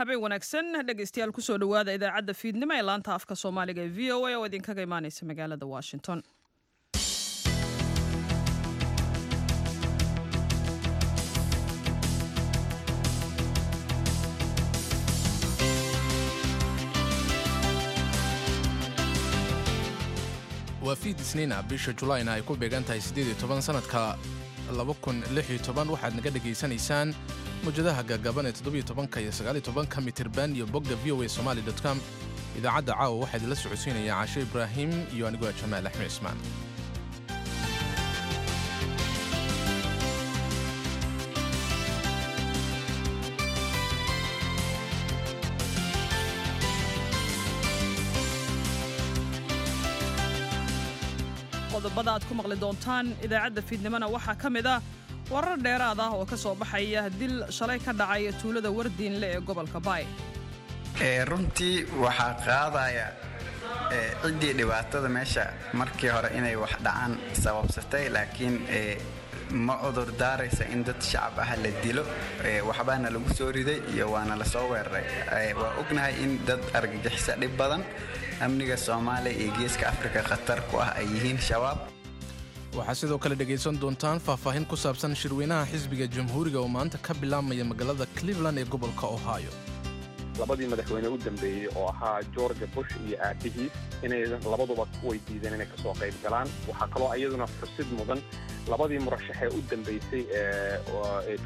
Habeen wanaagsan, dhegaystayaal. Kusoo dhowaada idaacadda fiidnimo ee laanta afka Soomaaliga ee VOA oo idinkaga imaaneysa magaalada Washington. Waa fiid Isniina, bisha Julaayna ay ku beegan tahay 18, sanadka 2016. Waxaad naga dhegaysanaysaan mawjadaha gaagaaban ee 17-ka iyo 19-ka mitirban iyo bogga voasomali.com. Idaacadda caawa waxaa idinla socodsiinaya Caashe Ibraahim iyo anigoo ah Jamaal Axmed Cismaan. Qodobada aad ku maqli doontaan idaacadda fiidnimona waxaa ka mid ah warar dheeraad ah oo ka soo baxaya dil shalay ka dhacay tuulada Wardiinle ee gobolka Baay. Runtii waxaa qaadaya ciddii dhibaatada meesha markii hore inay wax dhacaan sababsatay, laakiin ma cudur daaraysa in dad shacab ah la dilo. Waxbaana lagu soo riday iyo waana lasoo weeraray. Waa ognahay in dad argagixisa dhib badan amniga Soomaaliya iyo Geeska Afrika khatar ku ah ay yihiin Shabaab. Waxaa sidoo kale dhegaysan doontaan faahfaahin ku saabsan shirweynaha xisbiga Jamhuuriga oo maanta ka bilaabmaya magaalada Cleveland ee gobolka Ohio. Labadii madaxweyne u dambeeyey oo ahaa George Bush iyo aabihiis inay labaduba way diideen inay kasoo qayb galaan. Waxaa kaloo iyaduna xusid mudan labadii murashaxee u dambeysay ee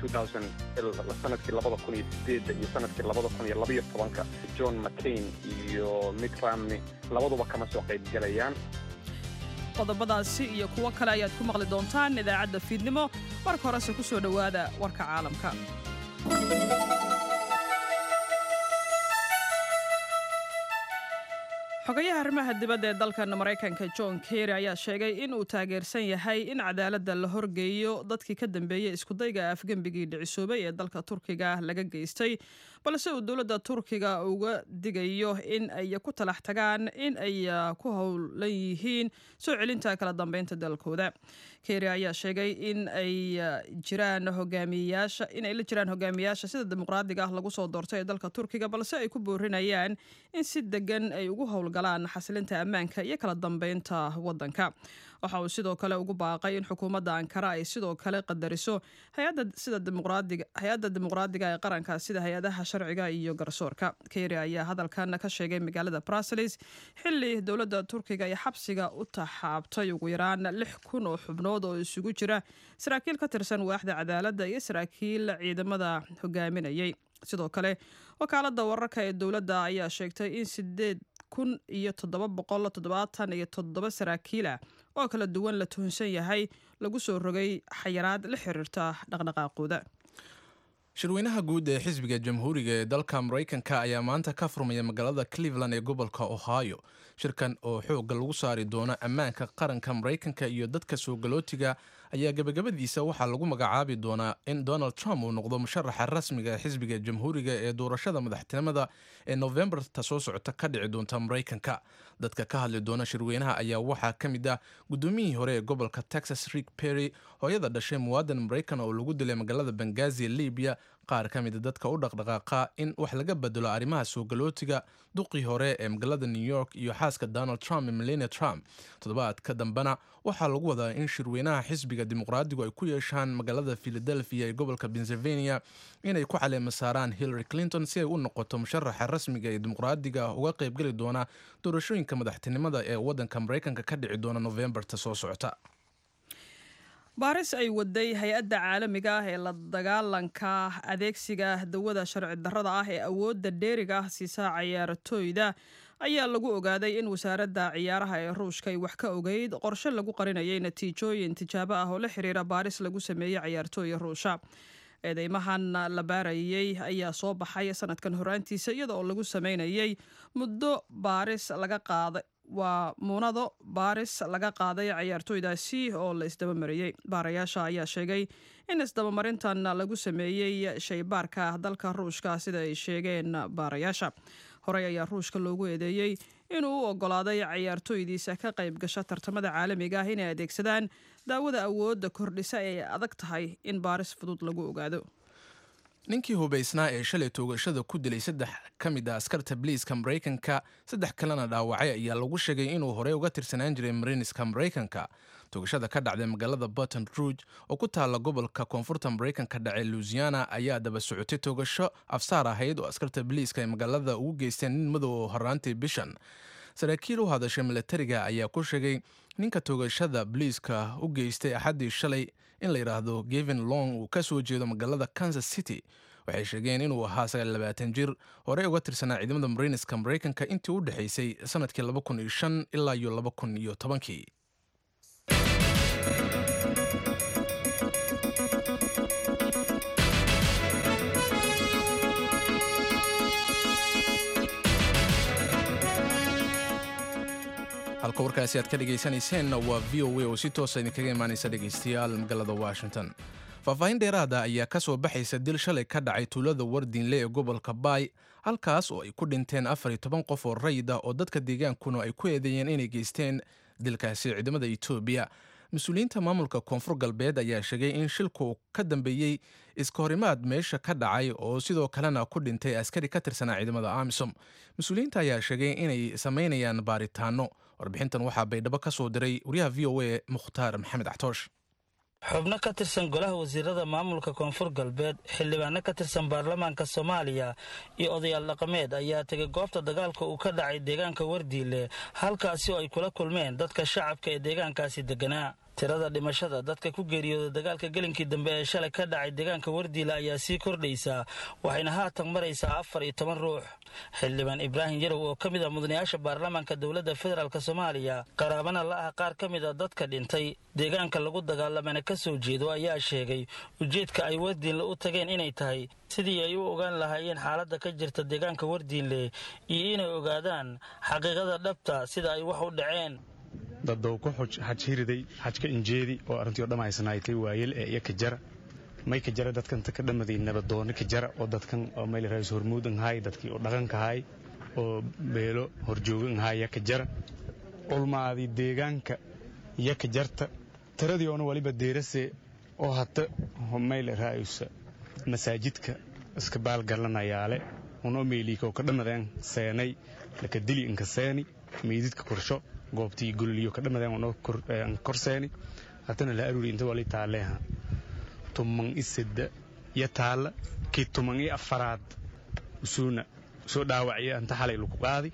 sanadkii 2008-da iyo sanadkii 2012-ka, John McCain iyo Mitt Romney, labaduba kama soo qayb galayaan. Qodobadaasi iyo kuwo kale ayaad ku maqli doontaan idaacadda fiidnimo. Marka horese ku soo dhowaada warka caalamka. Xogayaha arrimaha dibadda ee dalkan Maraykanka John Kerry ayaa sheegay in uu taageersan yahay in cadaaladda la horgeeyo dadkii ka dambeeyey iskudayga afgembigii dhicisoobay ee dalka Turkiga laga geystay, balse uu dowladda Turkiga uga digayo in ay ku talax tagaan in ay ku howlan yihiin soo celinta kala dambeynta dalkooda. Kerry ayaa sheegay in ay jiraan hogaamiyayaasha in ay la jiraan hogaamiyayaasha sida dimuqraadiga ah lagu soo doortay ee dalka Turkiga, balse ay ku boorinayaan in si degan ay ugu howlgalaan xasilinta ammaanka iyo kala dambeynta wadanka. Waxa uu sidoo kale ugu baaqay in xukuumadda Ankara ay sidoo kale qadariso hay-adda sida dimuqraadiga hay-adda dimuqraadiga ee qaranka, sida hay-adaha sharciga iyo garsoorka. Kerry ayaa hadalkan ka sheegay magaalada Brussels xilli dowladda Turkiga ay xabsiga u taxaabtay ugu yaraan 6000 oo xubnood oo isugu jira saraakiil ka tirsan waaxda cadaaladda iyo saraakiil ciidamada hogaaminayay. Sidoo kale, wakaaladda wararka ee dowladda ayaa sheegtay in 8777 saraakiil ah oo kala duwan la tuhunsan yahay lagu soo rogay xayiraad la xiriirta dhaqdhaqaaqooda. Shirweynaha guud ee xisbiga Jamhuuriga ee dalka Maraykanka ayaa maanta ka furmaya magaalada Cleveland ee gobolka Ohio. Shirkan oo xoogga lagu saari doono ammaanka qaranka Maraykanka iyo dadka soo galootiga ayaa gebagabadiisa waxaa lagu magacaabi doonaa in Donald Trump uu noqdo musharaxa rasmiga ee xisbiga Jamhuuriga ee doorashada madaxtinimada ee Novembarta soo socota ka dhici doonta Maraykanka. Dadka ka hadli doona shirweynaha ayaa waxaa ka mid ah gudoomiyihii hore ee gobolka Texas Rick Perry, hooyada dhashay muwaadan Maraykan oo lagu dilay magaalada Bangazi ee Libiya, qaar ka mida dadka u dhaqdhaqaaqa in wax laga bedelo arrimaha soo galootiga, duqii hore ee magaalada New York iyo xaaska Donald Trump, Melania Trump. Toddobaadka dambena waxaa lagu wadaa in shirweynaha xisbiga Dimuqraadigu ay ku yeeshaan magaalada Philadelphia ee gobolka Pennsylvania inay ku caleema saaraan Hillary Clinton si ay u noqoto musharaxa rasmiga ee Dimuqraadiga uga qaybgeli doona doorashooyinka madaxtinimada ee wadanka Maraykanka ka dhici doona Novembarta soo socota. Baaris ay waday hay-adda caalamiga ah ee la dagaalanka adeegsiga dawada sharci darrada ah ee awoodda dheeriga ah siisa cayaartooyda ayaa lagu ogaaday in wasaaradda ciyaaraha ee Ruushka ay wax ka ogeyd qorshe lagu qarinayay natiijooyin tijaabo ah oo la xiriira baaris lagu sameeyey cayaartooya Ruusha. Eedeymahan la baarayey ayaa soo baxay sanadkan horaantiisa, iyada oo lagu sameynayay muddo baaris laga qaaday, waa muunado baaris laga qaaday cayaartooydaasi oo la isdabamariyey. Baarayaasha ayaa sheegay in isdabamarintan lagu sameeyey shaybaarka dalka Ruushka. Sida ay sheegeen baarayaasha, horey ayaa Ruushka loogu eedeeyey inuu u ogolaaday cayaartooydiisa ka qayb gasha tartamada caalamiga ah inay adeegsadaan daawada awoodda kordhisa ee ay adag tahay in baaris fudud lagu ogaado. Ninkii hubaysnaa ee shalay toogashada ku dilay saddex ka mid ah askarta biliiska Maraykanka, saddex kalena dhaawacay, ayaa lagu sheegay inuu horey uga tirsanaan jiray Mariiniska Maraykanka. Toogashada ka dhacday magaalada Baton Rouge oo ku taalla gobolka koonfurta Maraykanka dhacay Louisiana ayaa daba socotay toogasho afsaar ahayd oo askarta biliiska ay magaalada ugu geysteen nin madow oo horraantii bishan. Saraakiil u hadashay milatariga ayaa ku sheegay ninka toogashada biliiska u geystay Axaddii shalay in la yidhaahdo Gavin Long, uu ka soo jeedo magaalada Kansas City. Waxay sheegeen inuu ahaa 29 jir, horey uga tirsanaa ciidamada Mariiniska Maraykanka intii u dhexaysay sanadkii 2005 ilaa iyo 2010-kii. Halka warkaasi aad ka dhegaysanayseena waa VOA oo si toosa idinkaga imaanaysa, dhegaystayaal, magaalada Washington. Faahfaahin dheeraada ayaa ka soo baxaysa dil shalay ka dhacay tuulada Wardiinle ee gobolka Baay, halkaas oo ay ku dhinteen 14 qof oo rayid ah, oo dadka deegaankuna ay ku eedeeyeen inay geysteen dilkaasi ciidamada Etoobiya. Mas-uuliyiinta maamulka Koonfur Galbeed ayaa sheegay in shilku ka dambeeyey iska horimaad meesha ka dhacay, oo sidoo kalena ku dhintay askari ka tirsanaa ciidamada AMISOM. Mas-uuliyiinta ayaa sheegay inay samaynayaan baaritaano. Warbixintan waxaa Baydhabo ka soo diray wariyaha VOA Mukhtaar Maxamed Axtoosh. Xubno ka tirsan golaha wasiirada maamulka Koonfur Galbeed, xildhibaano ka tirsan baarlamaanka Soomaaliya iyo odayaal dhaqameed ayaa tegay goobta dagaalka uu ka dhacay deegaanka Wardiile, halkaasi oo ay kula kulmeen dadka shacabka ee deegaankaasi deganaa. Tirada dhimashada dadka ku geeriyooda dagaalka gelinkii dambe ee shalay ka dhacay deegaanka Wardiile ayaa sii kordhaysaa, waxayna haatan maraysaa 14 ruux. Xildhibaan Ibraahim Yarow oo ka mid ah mudanayaasha baarlamaanka dowladda federaalk Soomaaliya, qaraabana la ah qaar ka mid a dadka dhintay, deegaanka lagu dagaalamana ka soo jeedo, ayaa sheegay ujeedka ay Wardiinle u tageen inay tahay sidii ay u ogaan lahaayeen xaaladda ka jirta deegaanka Wardiinle iyo inay ogaadaan xaqiiqada dhabta sida ay wax u dhaceen. Dadow ku xaj hiriday xajka injeedi oo arrintii o dhamaysnaaytay waayel ee iyo kajara may kajara dadkan ta ka dhamaday nabadooni kajara oo dadkan oo mayl raayis hormuud anhaay, dadkii oo dhaqanka haay oo beelo horjooga anhaay ya kajara, culmaadii deegaanka ya kajarta. Tiradii oona waliba deerase oo hata mayl raayisa masaajidka iska baalgalanayaale unoo meeliika oo ka dhamadeen seenay laka dili inka seeni meydidka korsho goobtii gololiyo ka dhamadeen unoo korseeni hatana la aruuri. Inta wali taaleeha 13 iyo taalla, kii 14aad usuuna soo dhaawacya anta xalay lagu qaadi.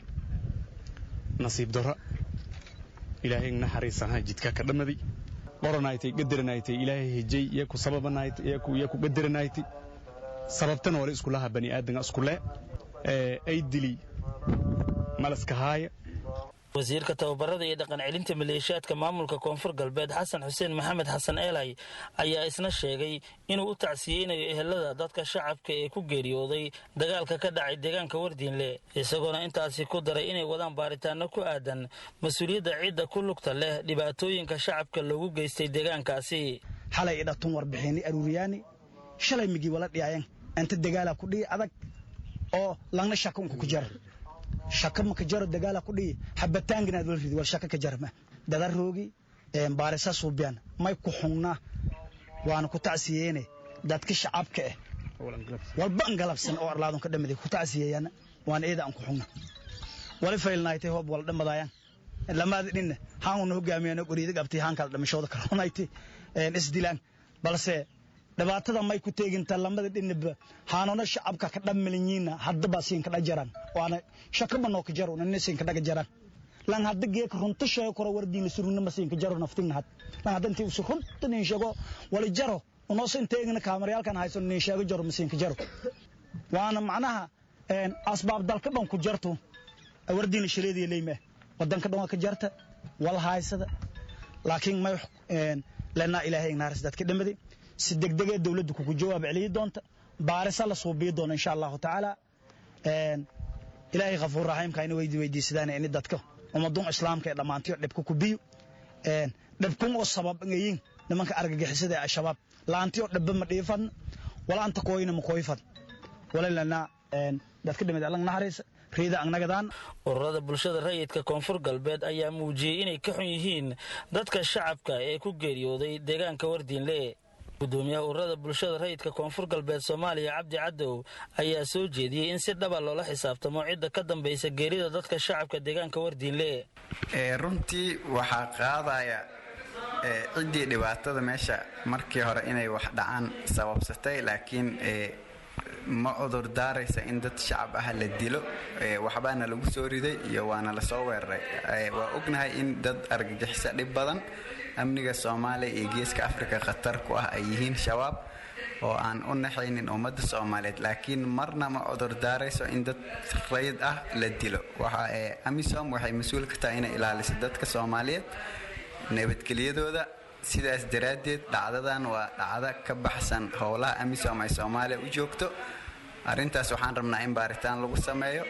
Nasiib darro, Ilaahay naxariisanha, jidka ka dhamaday qoranaytay gadaranaaytay Ilaahay hejay iyo ku sababanaaytay iyo ku gadaranaaytay. Sababtana wali iskulaha bani aadanka iskule ee ay dili malaska haaya. Wasiirka tababarada iyo dhaqan celinta maleeshiyaadka maamulka Koonfur Galbeed, Xasan Xuseen Maxamed Xasan Eelay, ayaa isna sheegay inuu u tacsiyeynayo ehelada dadka shacabka ee ku geeriyooday dagaalka ka dhacay deegaanka Wardiinle, isagoona intaasi ku daray inay wadaan baaritaano ku aadan mas-uuliyadda cidda ku lugta leh dhibaatooyinka shacabka loogu geystay deegaankaasi. Xalay idhatun warbixini aruuriyaani shalay migi wala dhiyaayan inta dagaala ku dhihi adag oo langna shakunka ku jara shaka ma ka jaro dagaala ku dhihi xabataanginaad wala ridi wal shaka ka jarma dada roogi baarisa suubiyan may ku xungnaa waana ku tacsiyeene dadka shacabka ah walba an galabsan oo arlaadon ka dhamaday ku tacsiyeeyana waana eeda aan ku xungna wali faylnaaytay hoob wala dhamadayaan lamaad dhinna haan hogaamiyana qoriida qabtay haan kala dhimashooda karoonaytay isdilaan, balse dhibaatada may ku teeginta lamada dhinaba haanona shacabka ka dhammalinyiina haddaba siinka dhajaraan waana shakaba noo ka jaro nina siinka dhaga jaraan lan hadda geeka runta sheego koro Wardiina surunna ma siinka jaro naftigna had lan hadda intii usu runta nin sheego wali jaro unoo sin teegna kaamarayaalkan hayso nin sheego jaro ma siinka jaro. Waana macnaha asbaab dalka dhan ku jarto Wardiina shireedii leeyma wadanka dhan waa ka jarta wal haysada, laakiin may lana Ilaahay naaris dadka dhamaday si degdegee dawladdu kugu jawaab celiyi doonta baarisa la suubiyi doona insha Allahu tacaala. Ilaahay Khafuur Raxiimka ina weydiisadaan in dadka ummadun Islaamka ee dhammaantiyo dhibka ku biyo dhibkun oo sabab ngayin nimanka argagixisada ee Al-Shabaab laantiyo dhibba ma dhiifan wala anta kooyina ma kooyfan wala dadka dhimid Alla naxariis riida agnagadaan. Ururada bulshada rayidka Koonfur Galbeed ayaa muujiyey inay ka xun yihiin dadka shacabka ee ku geeriyooday deegaanka Wardiinle. Gudoomiyaha ururada bulshada rayidka Koonfur Galbeed Soomaaliya, Cabdi Cadow, ayaa soo jeediyey in si dhaba loola xisaabtamo cidda ka dambaysa geerida dadka shacabka deegaanka Wardiinle. Runtii waxaa qaadaya ciddii dhibaatada meesha markii hore inay wax dhacaan sababsatay, laakiin ma cudur daaraysa in dad shacab ah la dilo. Waxbaana lagu soo riday iyo waana lasoo weeraray. Waa ognahay in dad argagixisa dhib badan amniga Soomaaliya iyo Geeska Afrika khatar ku ah ay yihiin Shabaab oo aan u naxaynin ummadda Soomaaliyeed, laakiin marna ma cudur daarayso in dad rayid ah la dilo. Waxa AMISOM waxay mas-uul ka tahay inay ilaaliso dadka Soomaaliyeed nabadgelyadooda. Sidaas daraaddeed dhacdadan waa dhacdo ka baxsan howlaha AMISOM ay Soomaaliya u joogto. Arrintaas waxaan rabnaa in baaritaan lagu sameeyo,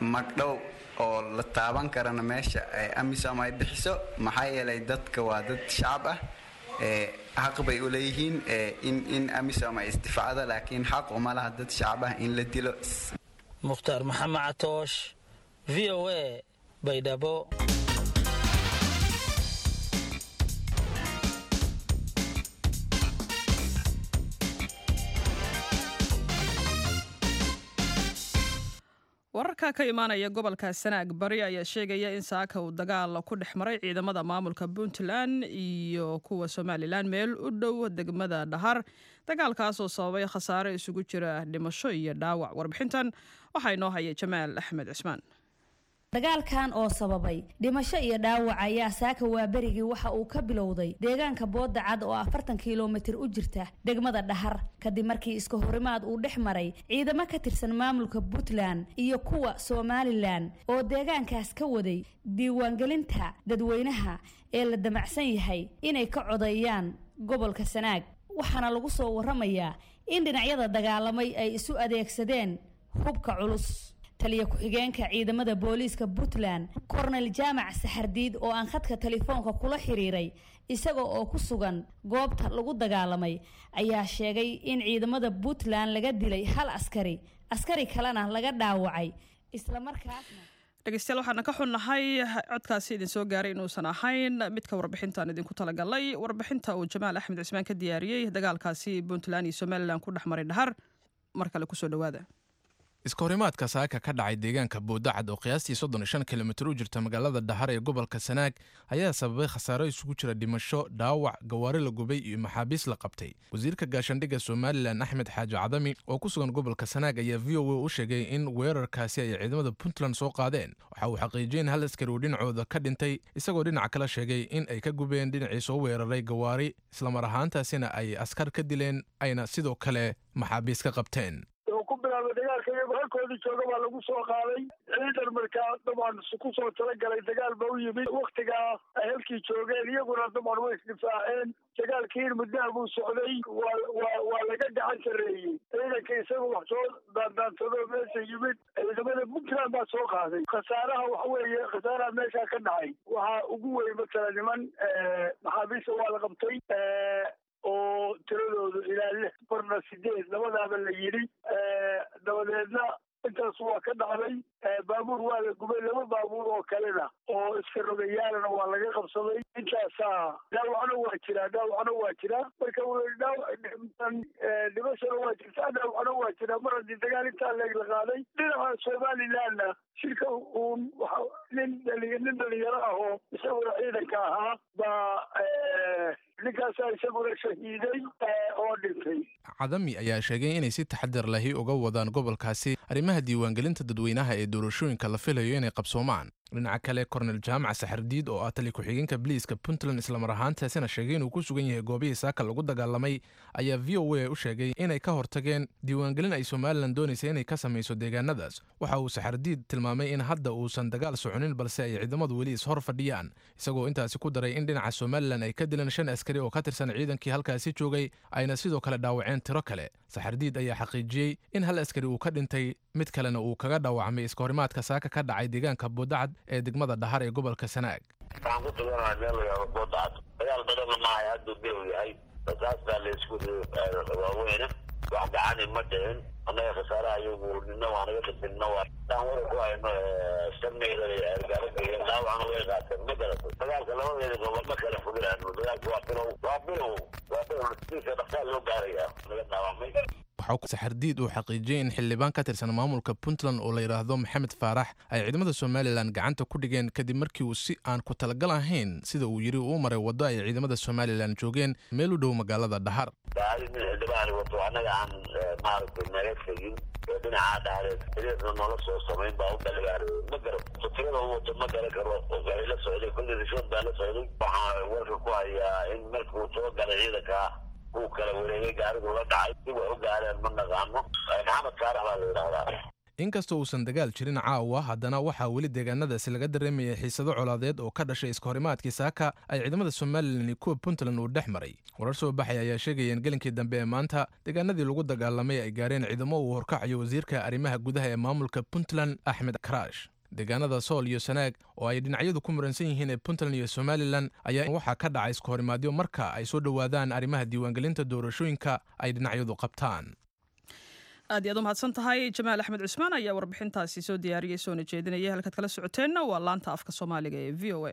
magdhow oo la taaban karana meesha AMISOM ay bixiso, maxaa yeelay dadka waa dad shacab ah, xaq bay u leeyihiin in AMISOM ay isdifaacdo, laakiin xaq uma laha dad shacab ah in la dilo. Mukhtaar Maxamed Catoosh, VOA, Baydhabo. Wararka ka imaanaya gobolka Sanaag Bari ayaa sheegaya in saaka uu dagaal ku dhex maray ciidamada maamulka Puntland iyo kuwa Somalilan meel u dhow degmada Dhahar, dagaalkaasoo sababay khasaare isugu jira dhimasho iyo dhaawac. Warbixintan waxaa inoo haya Jamaal Axmed Cismaan. Dagaalkan oo sababay dhimasho iyo dhaawac ayaa saaka waaberigii waxa uu ka bilowday deegaanka Booda Cad oo 40 kilomitir u jirta degmada Dhahar, kadib markii iska horimaad uu dhex maray ciidamo ka tirsan maamulka Puntland iyo kuwa Somalilan oo deegaankaas ka waday diiwaangelinta dadweynaha ee la damacsan yahay inay ka codeeyaan gobolka Sanaag. Waxaana lagu soo waramayaa in dhinacyada dagaalamay ay isu adeegsadeen hubka culus. Taliya ku-xigeenka ciidamada booliiska Puntland, Kornel Jaamac Saxardiid, oo aan khadka telefoonka kula xiriiray isaga oo ku sugan goobta lagu dagaalamay, ayaa sheegay in ciidamada Puntland laga dilay hal askari, askari kalena laga dhaawacay islamarkaasna. Dhegeystayaal, waxaana ka xunnahay codkaasi idin soo gaaray inuusan ahayn midka warbixintan idinku talagalay. Warbixinta uu Jamaal Axmed Cismaan ka diyaariyey dagaalkaasi Puntland iyo Somalilan ku dhex maray Dhahar mar kale kusoo dhawaada. Iskahorimaadka saaka ka dhacay deegaanka Boodacad oo qiyaastii 35 kilomitir u jirta magaalada Dhahar ee gobolka Sanaag ayaa sababay khasaaro isugu jira dhimasho, dhaawac, gawaari la gubay iyo maxaabiis la qabtay. Wasiirka gaashaandhigga Somalilan, Axmed Xaaji Cadami, oo ku sugan gobolka Sanaag ayaa VOA u sheegay in weerarkaasi ay ciidamada Puntland soo qaadeen. Waxa uu xaqiijiyey in hal askari uu dhinacooda ka dhintay, isagoo dhinaca kala sheegay in ay ka gubeen dhinacii soo weeraray gawaari, islamar ahaantaasina ay askar ka dileen ayna sidoo kale maxaabiis ka qabteen. Ku bilaabay dagaalka iyagoo halkoodii jooga baa lagu soo qaaday ciidan. Markaa dabcan ku soo talagalay dagaal ba u yimid waktigaa ay halkii joogeen, iyaguna dabcan way isdifaaceen. Dagaalkiin muddaha buu socday, waa laga gacan sarreeyey ciidanka isaga wax soo daandaansado meesha yimid. Ciidamada Puntland baa soo qaaday. Khasaaraha waxa weeye, khasaaraha meeshaa ka dhacay waxaa ugu weyn matala niman maxaabiista waa la qabtay oo tiradoodu ilaa lix, barna sideed, labadaaba la yidhi. Dabadeedna intaas waa ka dhacday. Baabuur waa la gubay, laba baabuur oo kalena oo iska rogayaalana waa laga qabsaday. Intaasaa dhaawacna waa jiraa, dhaawacna waa jiraa. Marka dhimashana waa jirtaa, dhaawacna waa jiraa mar haddii dagaal intaa leeg la qaaday. Dhinaca Somalilandna shirka uun nin dhalinyaro ah oo isaguna ciidanka ahaa baa ninkaasaa isaguna shahiiday oo dhintay. Cadami ayaa sheegay inay si taxadar lahi uga wadaan gobolkaasi arrimaha diiwaangelinta dadweynaha ee doorashooyinka la filayo inay qabsoomaan. Dhinaca kale, Kornel Jaamac Saxardiid oo ah tali ku-xigeenka biliiska Puntland, islamar ahaantaasina sheegay inuu ku sugan yahay goobihii saaka lagu dagaalamay, ayaa VOA u sheegay inay ka hortageen diiwaangelin ay Somalilan doonaysa inay ka samayso deegaanadaas. Waxa uu Saxardiid tilmaamay in hadda uusan dagaal soconin, balse ay ciidamadu weli ishor fadhiyaan, isagoo intaasi ku daray in dhinaca Somalilan ay ka dileen shan askari oo ka tirsan ciidankii halkaasi joogay, ayna sidoo kale dhaawaceen tiro kale. Saxardiid ayaa xaqiijiyey in hal askari uu ka dhintay, mid kalena uu kaga dhaawacmay iskahorimaadka saaka ka dhacay deegaanka Boodacad ee degmada Dhahar ee gobolka Sanaag. Waxaan ku suganahay meel la yidhaahdo Boodacad. Dagaal badanna maahay, hadduu bilow yahay. Rasaas baa la isku waaweyne, wax gacani ma dhicin. Annaga khasaaraha iyagu nina waa naga dhintay, nina waa daan wada ku hayno shan meyl gaaro, dhaawacna way qaateen. Ma garatay? Dagaalka labadeeda gobol ma kala foginaano. Dagaalku waa bilow, waa bilow. Waa dhowr dhaqsaa loo gaarayaa laga dhaawacmay. Waxaa Saxardiid uu xaqiijiyey in xildhibaan ka tirsan maamulka Puntland oo la yidhaahdo Maxamed Faarax ay ciidamada Somalilan gacanta ku dhigeen, kadib markii uu si aan ku talagal ahayn, sida uu yidhi, uu maray waddo ay ciidamada Somalilan joogeen meel u dhow magaalada Dhahar. Gaari mid xildhibaan wato annaga aan maaragtay naga tegin ee dhinacaa Dhahareed xiriirna noola soo samayn baa u galay. Ma garan tirada u wato, ma garan karo. Gaari la socday kulli rishood baa la socday. Waxaa warka ku hayaa in markuu soo galay ciidanka uu kala wareegay, gaarigu la dhacay. Si wax u gaareen ma naqaano. Maxamed Saarax baa la yidhahdaa. Inkastoo uusan dagaal jirin caawa, haddana waxaa weli deegaanadaasi laga dareemayay xiisado colaadeed oo ka dhashay iskahorimaadkii saaka ay ciidamada Somalilan iyo kuwa Puntland uu dhex maray. Warar soo baxay ayaa sheegaya in gelinkii dambe ee maanta deegaanadii lagu dagaalamay ay gaareen ciidamo uu horkacayo wasiirka arrimaha gudaha ee maamulka Puntland, Axmed Karaash. Deegaanada Sool iyo Sanaag oo ay dhinacyadu ku muransan yihiin ee Puntland iyo Somalilan ayaa waxaa ka dhacay iskahorimaadyo marka ay soo dhowaadaan arrimaha diiwaangelinta doorashooyinka ay dhinacyadu qabtaan. Aad iyo aad u mahadsan tahay. Jamaal Axmed Cusmaan ayaa warbixintaasi soo diyaariyey, soona jeedinaya. Halkaad kala socoteenna waa laanta afka Soomaaliga ee VOA.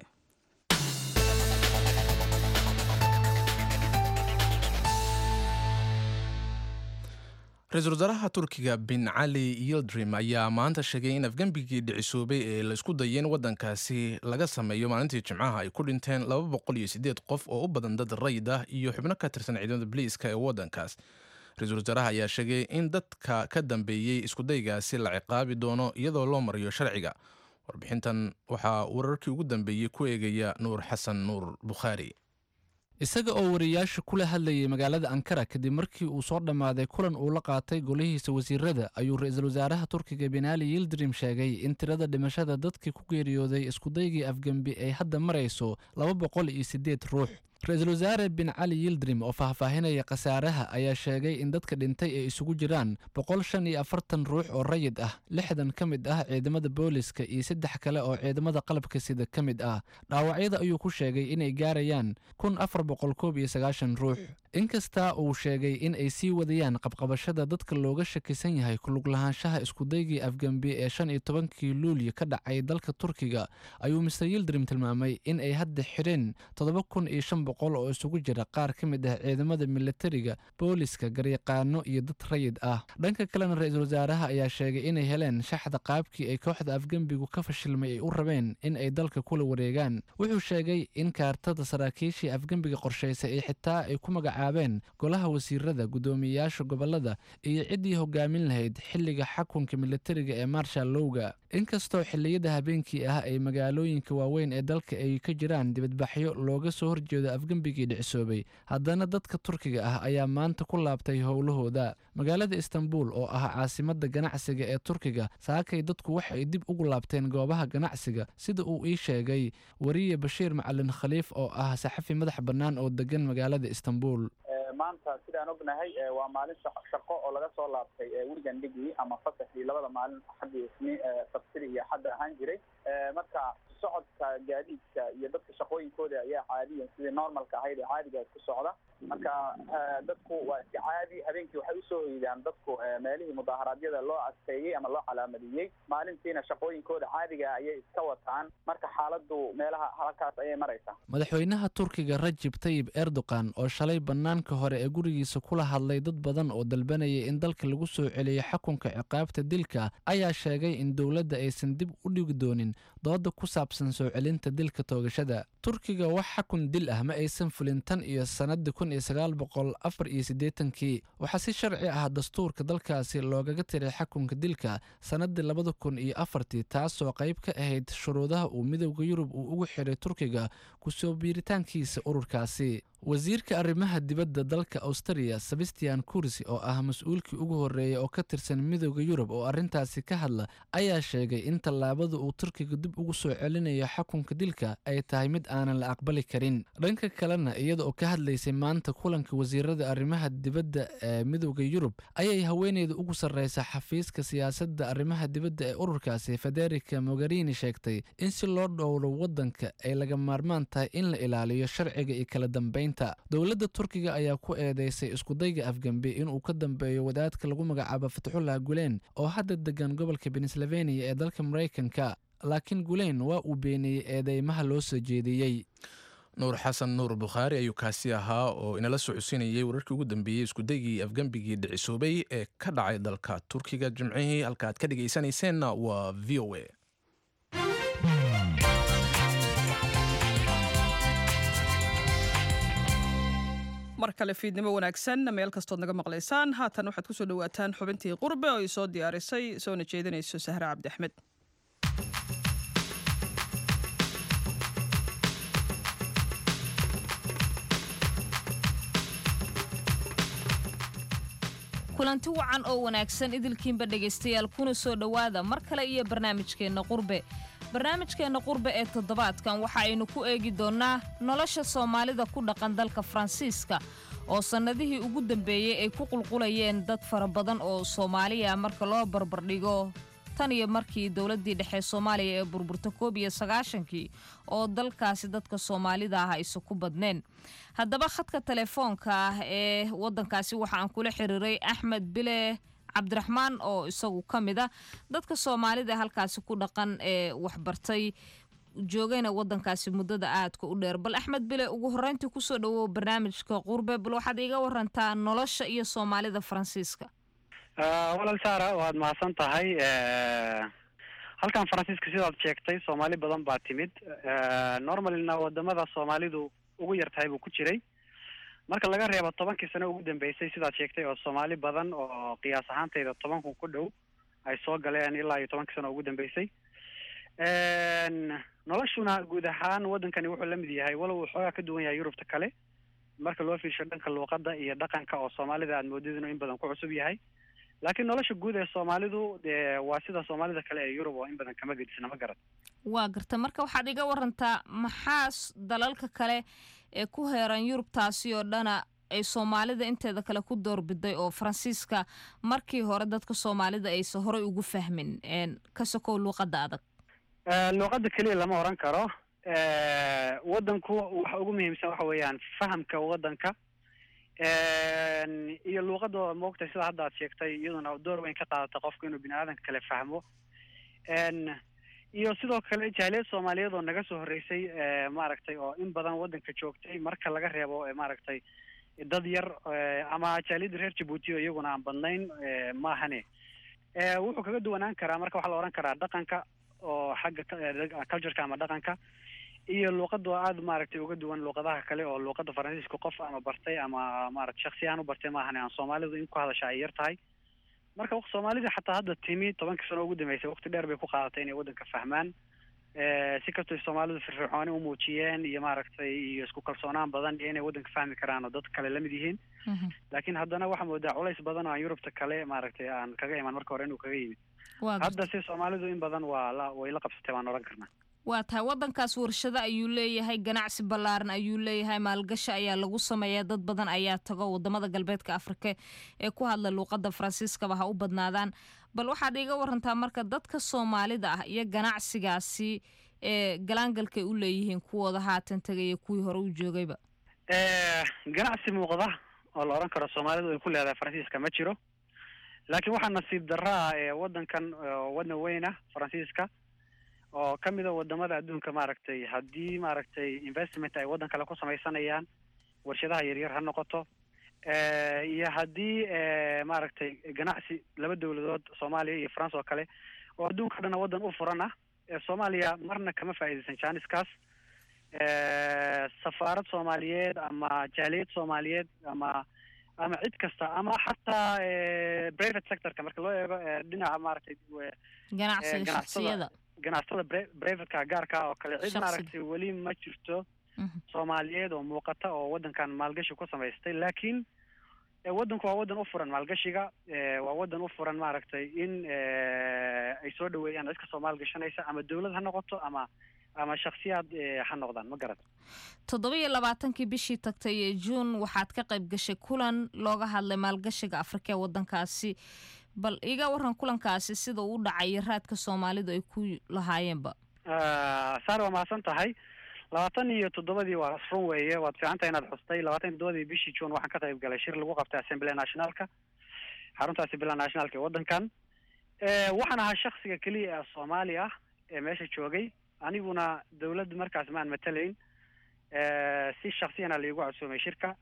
Ra-iisul wasaaraha Turkiga Bin Cali Yildrim ayaa maanta sheegay in afgembigii dhicisoobay ee laisku dayay in waddankaasi laga sameeyo maalintii Jimcaha ay ku dhinteen 208 qof oo u badan dad rayid ah iyo xubno ka tirsan ciidamada boliiska ee waddankaas. Ra-iisul wasaaraha ayaa sheegay in dadka ka dambeeyey iskudaygaasi la ciqaabi doono iyadoo loo mariyo sharciga. Warbixintan waxaa wararkii ugu dambeeyey ku eegaya Nuur Xasan Nuur Bukhaari. Isaga oo wariyaasha kula hadlayay magaalada Ankara kadib markii uu soo dhammaaday kulan uu la qaatay golihiisa wasiirada, ayuu ra-iisul wasaaraha Turkiga Binaali Yildirim sheegay in tirada dhimashada dadkii ku geeriyooday iskudaygii afgembi ay hadda marayso 208 ruux. Ra-iisul wasaare Bin Cali Yildirim oo faahfaahinaya khasaaraha ayaa sheegay in dadka dhintay ay isugu jiraan 145 ruux oo rayid ah, 60 ka mid ah ciidamada booliska iyo saddex kale oo ciidamada qalabka sida ka mid ah. Dhaawacyada ayuu ku sheegay inay gaarayaan 1491 ruux. Inkasta uu sheegay in ay sii wadayaan qabqabashada dadka looga shakisan yahay kulug lahaanshaha iskudaygii afgembi ee 15-kii Luulyo ka dhacay dalka Turkiga, ayuu Mister Yildirim tilmaamay in ay hadda xidheen 7500 oo isugu jira qaar ka mid ah ciidamada militariga, booliska, garyaqaano iyo dad rayid ah. Dhanka kalena, ra-iisul wasaaraha ayaa sheegay inay heleen shaxda qaabkii ay kooxda afgembigu ka fashilmay ay u rabeen in ay dalka kula wareegaan. Wuxuu sheegay in kaartada saraakiishii afgembiga qorshaysay ay xitaa ay ku magacaabeen golaha wasiirada, guddoomiyeyaasha gobolada iyo ciddii hogaamin lahayd xilliga xakunka militariga ee marshal lowga. Inkastoo xilliyada habeenkii ah ay magaalooyinka waaweyn ee dalka ay ka jiraan dibadbaxyo looga soo horjeedo afgembigii dhicisoobay, haddana dadka Turkiga ah ayaa maanta ku laabtay howlahooda. Magaalada Istanbul oo ah caasimada ganacsiga ee Turkiga, saakay dadku waxay dib ugu laabteen goobaha ganacsiga, sida uu ii sheegay wariye Bashiir Macalin Khaliif oo ah saxafi madax bannaan oo degan magaalada Istanbul. Maanta sidaan ognahay waa maalin shaqo oo laga soo laabtay weekendgii ama fasaxii labada maalin, Axadii, Isni, Sabtida iyo Axadda ahaan jiray. Marka socodka gaadiidka iyo dadka shaqooyinkooda ayaa caadiyan sidii normalka ahayd ee caadiga isku socda. Marka dadku waa iska caadi. Habeenkii waxay usoo hoydaan dadku meelihii mudaharaadyada loo adkeeyey ama loo calaamadiyey, maalintiina shaqooyinkooda caadiga ayay iska wataan. Marka xaaladdu meelaha halkaas ayay maraysaa. Madaxweynaha Turkiga Rajib Tayib Erdogan oo shalay bannaanka hore ee gurigiisa kula hadlay dad badan oo dalbanayay in dalka lagu soo celiyo xakunka ciqaabta dilka ayaa sheegay in dowladda aysan dib u dhigi doonin dooda ku saabsan soo celinta dilka toogashada. Turkiga wax xakun dil ah ma aysan fulin tan iyo sannadii 1984-kii. Waxaa si sharci ah dastuurka dalkaasi loogaga tiray xakunka dilka sannadii 2004-tii, taasoo qayb ka ahayd shuruudaha uu Midowda Yurub uu ugu xiray Turkiga kusoo biiritaankiisa ururkaasi. Wasiirka arrimaha dibadda dalka Australia, Sebastian Kurz, oo ah mas-uulkii ugu horreeyay oo ka tirsan Midowda Yurub oo arrintaasi ka hadla, ayaa sheegay in tallaabada uu Turkiga dib ugu soo celinayo xakunka dilka ay tahay mid aanan la aqbali karin. Dhanka kalena, iyada oo ka hadlaysay maanta kulanka wasiirada arrimaha dibadda ee Midowda Yurub, ayay haweeneyda ugu sarreysa xafiiska siyaasadda arrimaha dibadda ee ururkaasi, Federica Mogherini, sheegtay in si loo dhowro waddanka ay laga maarmaan tahay in la ilaaliyo sharciga iyo kala dambeynta. Dowladda Turkiga ayaa ku eedeysay iskudayga afgembi inuu ka dambeeyo wadaadka lagu magacaabo Fatxullah Gulen oo hadda degan gobolka Pennsylvania ee dalka Maraykanka, laakiin Gulen waa uu beeniyey eedeymaha loo soo jeediyey. Nuur Xasan Nuur Bukhaari ayuu kaasi ahaa oo inala socodsiinayay wararkii ugu dambeeyey iskudaygii afgembigii dhicisoobay ee ka dhacay dalka Turkiga Jimcihii. Halka aad ka dhegaysanayseena waa VOA. Mar kale fiidnimo wanaagsan meel kastood naga maqlaysaan. Haatan waxaad kusoo dhawaataan xubintii Qurbe oo ay soo diyaarisay soona jeedinayso Sahre Cabdi Axmed. Kulanti wacan oo wanaagsan idilkiinba dhegaystayaal, kuna soo dhowaada mar kale iyo barnaamijkeenna Qurbe. Barnaamijkeenna Qurbe ee toddobaadkan waxa aynu ku eegi doonnaa nolosha Soomaalida ku dhaqan dalka Faransiiska, oo sannadihii ugu dambeeyey ay ku qulqulayeen dad fara badan oo Soomaaliya marka loo barbardhigo tan iyo markii dowladdii dhexe Soomaaliya ee burburta 91-kii, oo dalkaasi dadka Soomaalida ah aysan ku badneen. Haddaba khadka telefoonka ah ee waddankaasi waxa aan kula xiriiray Axmed Bile Cabdiraxmaan, oo isagu ka mid a dadka Soomaalida halkaasi ku dhaqan ee waxbartay, joogayna waddankaasi muddada aadka u dheer. Bal Axmed Bile, ugu horreyntii kusoo dhawow barnaamijka Qurbe. Bal waxaad iiga warantaa nolosha iyo Soomaalida Faransiiska. Walaal Saara, waad mahadsan tahay. Halkan Faransiiska, sidaad sheegtay, Soomaali badan baa timid. Normalina wadamada Soomaalidu ugu yar tahay buu ku jiray, marka laga reebo 10-kii sano ugu dambeysay, sidaad sheegtay, oo Soomaali badan oo qiyaas ahaantayda 10,000 ku dhow ay soo galeen ilaa iyo 10-kii sano ugu dambeysay. Noloshuna guud ahaan waddankani wuxuu la mid yahay, walow uu xoogaa ka duwan yahay Yurubta kale marka loo fiirsho dhanka luuqadda iyo dhaqanka, oo Soomaalida aad moodid inuu in badan ku cusub yahay, laakiin nolosha guud ee Soomaalidu waa sida Soomaalida kale ee Yurub oo in badan kama gedisna, ma garat? Waa garta. Marka waxaad iga warantaa maxaa dalalka kale ee ku heeran Yurub taasi oo dhana ay Soomaalida inteeda kale ku doorbiday, oo Faransiiska markii hore dadka Soomaalida aysan horey ugu fahmin, ka sokow luuqadda adag? Luuqadda keliya lama oran karo. Waddanku waxa ugu muhiimsan waxa weeyaan fahamka waddanka iyo luuqadda, moogtay, sida hadda aad sheegtay, iyaduna door weyn ka qaadata qofku inuu bini aadanka kale fahmo, iyo sidoo kale jaaliyad Soomaaliyeed oo naga soo horreysay, maaragtay, oo in badan waddanka joogtay, marka laga reebo, maaragtay, dad yar ama jaaliyadda reer Jabuuti oo iyaguna aan badnayn maahane. Wuxuu kaga duwanaan karaa marka waxaa la oran karaa dhaqanka, oo xagga cultureka ama dhaqanka, iyo luuqadda oo aada, maaragtay, uga duwan luuqadaha kale, oo luuqadda Faransiiska qof ama bartay ama, maaragtay, shaksi ahaan u bartay maahane aan Soomaalidu in ku hadasha ay yar tahay. Marka Soomaalida xataa hadda timi 10-kii sano ugu dambeysay, waqti dheer bay ku qaadatay inay waddanka fahmaan, si kastoo Soomaalidu firfircooni u muujiyeen iyo, maaragtay, iyo isku kalsoonaan badan iyo inay waddanka fahmi karaan oo dad kale la mid yihiin, laakiin haddana waxaa moodaa culays badan oo aan Yurubta kale, maaragtay, aan kaga iman marka hore inuu kaga yimid. Hadda si Soomaalidu in badan waa la way la qabsatay baan odhan karnaa. Waa tahay. Waddankaas warshado ayuu leeyahay, ganacsi ballaaran ayuu leeyahay, maalgashi ayaa lagu sameeyaa, dad badan ayaa tago wadamada galbeedka Afrika ee ku hadla luuqadda Faransiiskaba ha u badnaadaan. Bal waxaad iiga warantaa marka dadka Soomaalida ah iyo ganacsigaasi ee galaangalkay u leeyihiin, kuwooda haatan tegaya, kuwii hore u joogayba. Ganacsi muuqda oo la odhan karo Soomaalidu ay ku leedahay Faransiiska ma jiro, laakiin waxaa nasiib darraa ee waddankan, waddan weyn ah Faransiiska, oo ka mid a wadamada adduunka, maaragtay, haddii, maaragtay, investment ay waddan kale ku samaysanayaan, warshadaha yaryar ha noqoto, iyo haddii, maaragtay, ganacsi laba dowladood, Soomaaliya iyo France oo kale, oo adduunka o dhan waddan u furan ah, Soomaaliya marna kama faa'iidaysan janiskaas. Safaarad Soomaaliyeed ama jaaliyad Soomaaliyeed ama cid kasta ama xataa private sectorka marka loo eego, dhinaca, maaragtay, ganacsiga shaksiyada, ganacsatada privateka gaarka oo kale, cid, maaragtay, weli ma jirto Soomaaliyeed oo muuqata oo waddankan maalgashi ku samaystay. Laakiin waddanku waa waddan u furan maalgashiga, waa waddan u furan, maaragtay, in ay soo dhaweeyaan cid kastoo maalgashanaysa, ama dawlad ha noqoto ama shaksiyaad ha noqdaan, ma garat? 27-kii bishii tagtay ee Juun waxaad ka qayb gashay kulan looga hadlay maalgashiga Afrika ee waddankaasi. Bal iga waran kulankaasi sida uu u dhacay, raadka Soomaalidu ay ku lahaayeenba. Saar, waa mahadsan tahay. 27-dii waa run weeye, waad fiican tahay inaad xustay. 27-dii bishii Juun waxaan ka qayb galay shir lagu qabtay Assemblée Nationalka, xarunta Assemblée Nationalka ee waddankan. Waxaan ahaa shaksiga keliya ee Soomaali ah ee meesha joogay. Aniguna dawladda markaas maan matalayn. Si shaksiyana laigu casuumay shirka.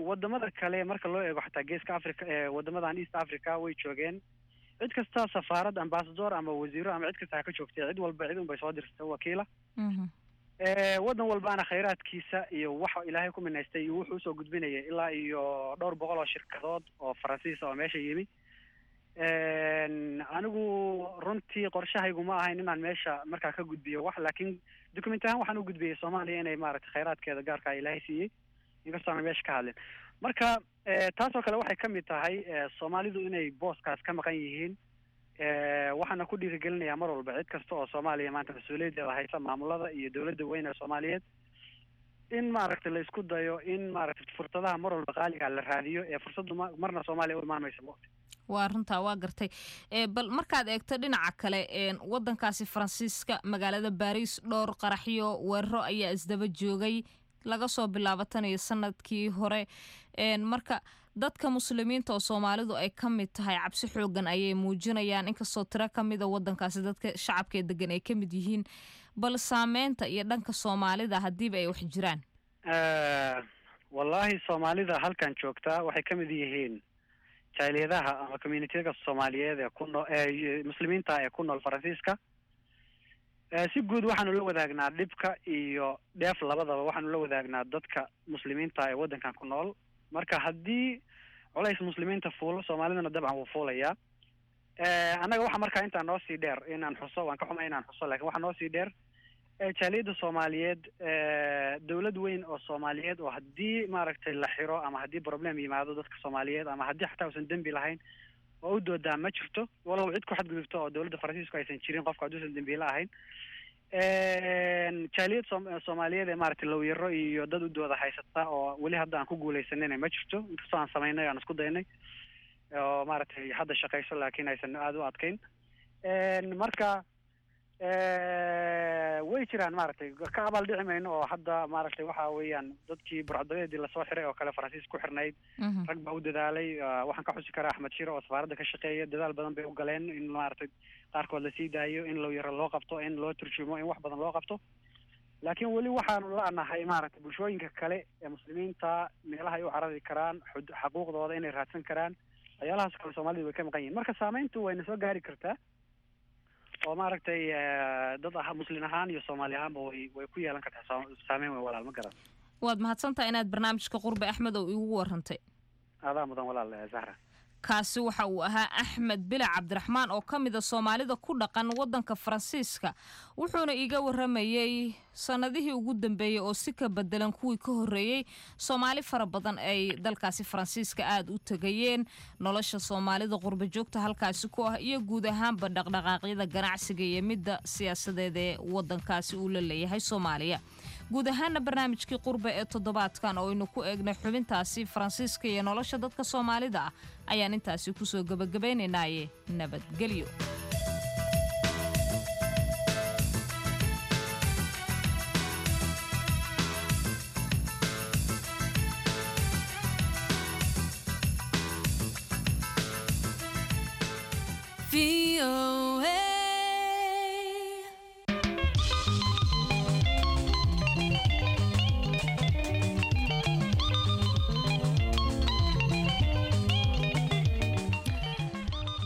Wadamada kale marka loo eego, xataa Geeska Africa, wadamadan East Africa way joogeen. Cid kasta, safaarad, ambassador ama wasiiro ama cid kasta ha ka joogtay, cid walba cid un bay soo dirtay wakiila. Waddan walbaana khayraadkiisa iyo waxa Ilaahay ku minaystay iyo wuxuu usoo gudbinayay ilaa iyo dhowr boqol oo shirkadood oo Faransiis oo meesha yimi. Anigu runtii qorshahaygu ma ahayn inaan meesha markaa ka gudbiyo wax, laakiin document ahaan waxaan u gudbiyey Soomaaliya inay maaragtay khayraadkeeda gaarka Ilaahay siiyey, inkastoo aan meesha ka hadlin. Marka taasoo kale waxay ka mid tahay Soomaalidu inay booskaas ka maqan yihiin. Waxaana ku dhiirigelinayaa mar walba cid kasta oo Soomaaliya maanta mas-uuliyaddeeda haysa, maamulada iyo dowladda weyn ee Soomaaliyeed, in maaragtay la isku dayo in maaragtay fursadaha mar walba qaaliga la raadiyo, ee fursaddu marna Soomaaliya u imaan mayso waqti. Waa runtaa, waa gartay. Bal markaad eegto dhinaca kale, wadankaasi Faransiiska, magaalada Baariis, dhowr qaraxyo weeraro ayaa isdaba joogay laga soo bilaabo tan iyo sanadkii hore. Marka dadka Muslimiinta oo Soomaalidu ay ka mid tahay cabsi xoogan ayay muujinayaan, inkastoo tiro ka mida wadankaasi dadka shacabka ee degan ay ka mid yihiin. Bal saameynta iyo dhanka Soomaalida haddiiba ay wax jiraan? Wallaahi, Soomaalida halkan joogtaa waxay ka mid yihiin jaaliyadaha ama communityaga Soomaaliyeed ee ku nool, ee Muslimiinta ee ku nool Faransiiska. Si guud waxaanu la wadaagnaa dhibka iyo dheef labadaba, waxaanu la wadaagnaa dadka Muslimiinta ee waddankan ku nool. Marka haddii culays Muslimiinta fuulo, Soomaalidana dabcan wuu fuulayaa. Annaga waxa markaa intaa noo sii dheer inaan xuso, waan ka xumay inaan xuso, lakin waxaa noo sii dheer jaaliyadda Soomaaliyeed dowlad weyn oo Soomaaliyeed oo haddii maaragtay la xiro ama haddii problem yimaado dadka Soomaaliyeed ama haddii xataa uusan dembi lahayn oo u doodaa ma jirto, walow cid ku xadgudubto oo dowladda Faransiisku aysan jirin qofka hadduusan dembiile ahayn. Jaaliyad Soomaaliyeed ee maaragtay lawyero iyo dad u dooda haysata oo weli hadda aan ku guuleysanina ma jirto, inkastoo aan samaynay, aan isku daynay oo maaragtay hadda shaqayso, laakiin aysan aada u adkayn. Marka way jiraan, maaragtay ka abaal dhici mayno oo hadda maaragtay waxa weeyaan dadkii burcadabeedii lasoo xiray oo kale Faransiis ku xirnayd, rag baa u dadaalay. Waxaan ka xusi karaa Axmed Shiro oo safaaradda ka shaqeeya. Dadaal badan bay u galeen in maaragtay qaarkood lasii daayo, in lawyero loo qabto, in loo turjumo, in wax badan loo qabto, laakiin weli waxaanu la'nahay maaragtay bulshooyinka kale ee Muslimiinta meelaha ay u carari karaan, xaquuqdooda inay raadsan karaan, waxyaalahaas kale Soomaalida way ka maqan yihin. Marka saameyntu wayna soo gaari kartaa oo maaragtay dad ah Muslin ahaan iyo Soomaali ahaanba way ku yeelan kartaa saameyn weyn, walaal, ma garan. Waad mahadsantahay inaad barnaamijka Qurbe, Axmed, oo iigu warantay. Adaa mudan, walaal Zahra. Kaasi waxa uu ahaa Axmed Bila Cabdiraxmaan oo ka mida Soomaalida ku dhaqan waddanka Faransiiska, wuxuuna iiga waramayey sannadihii ugu dambeeyey oo si ka bedelan kuwii ka horreeyey Soomaali fara badan ay dalkaasi Faransiiska aada u tegayeen, nolosha Soomaalida qurba joogta halkaasi ku ah iyo guud ahaanba dhaqdhaqaaqyada ganacsiga iyo midda siyaasadeed ee waddankaasi uu la leeyahay Soomaaliya. Guud ahaana barnaamijkii Qurbe ee toddobaadkan oo aynu ku eegnay xubintaasi Faransiiska iyo nolosha dadka Soomaalida ah ayaan intaasi kusoo gebagabaynaynaaye nabadgelyo.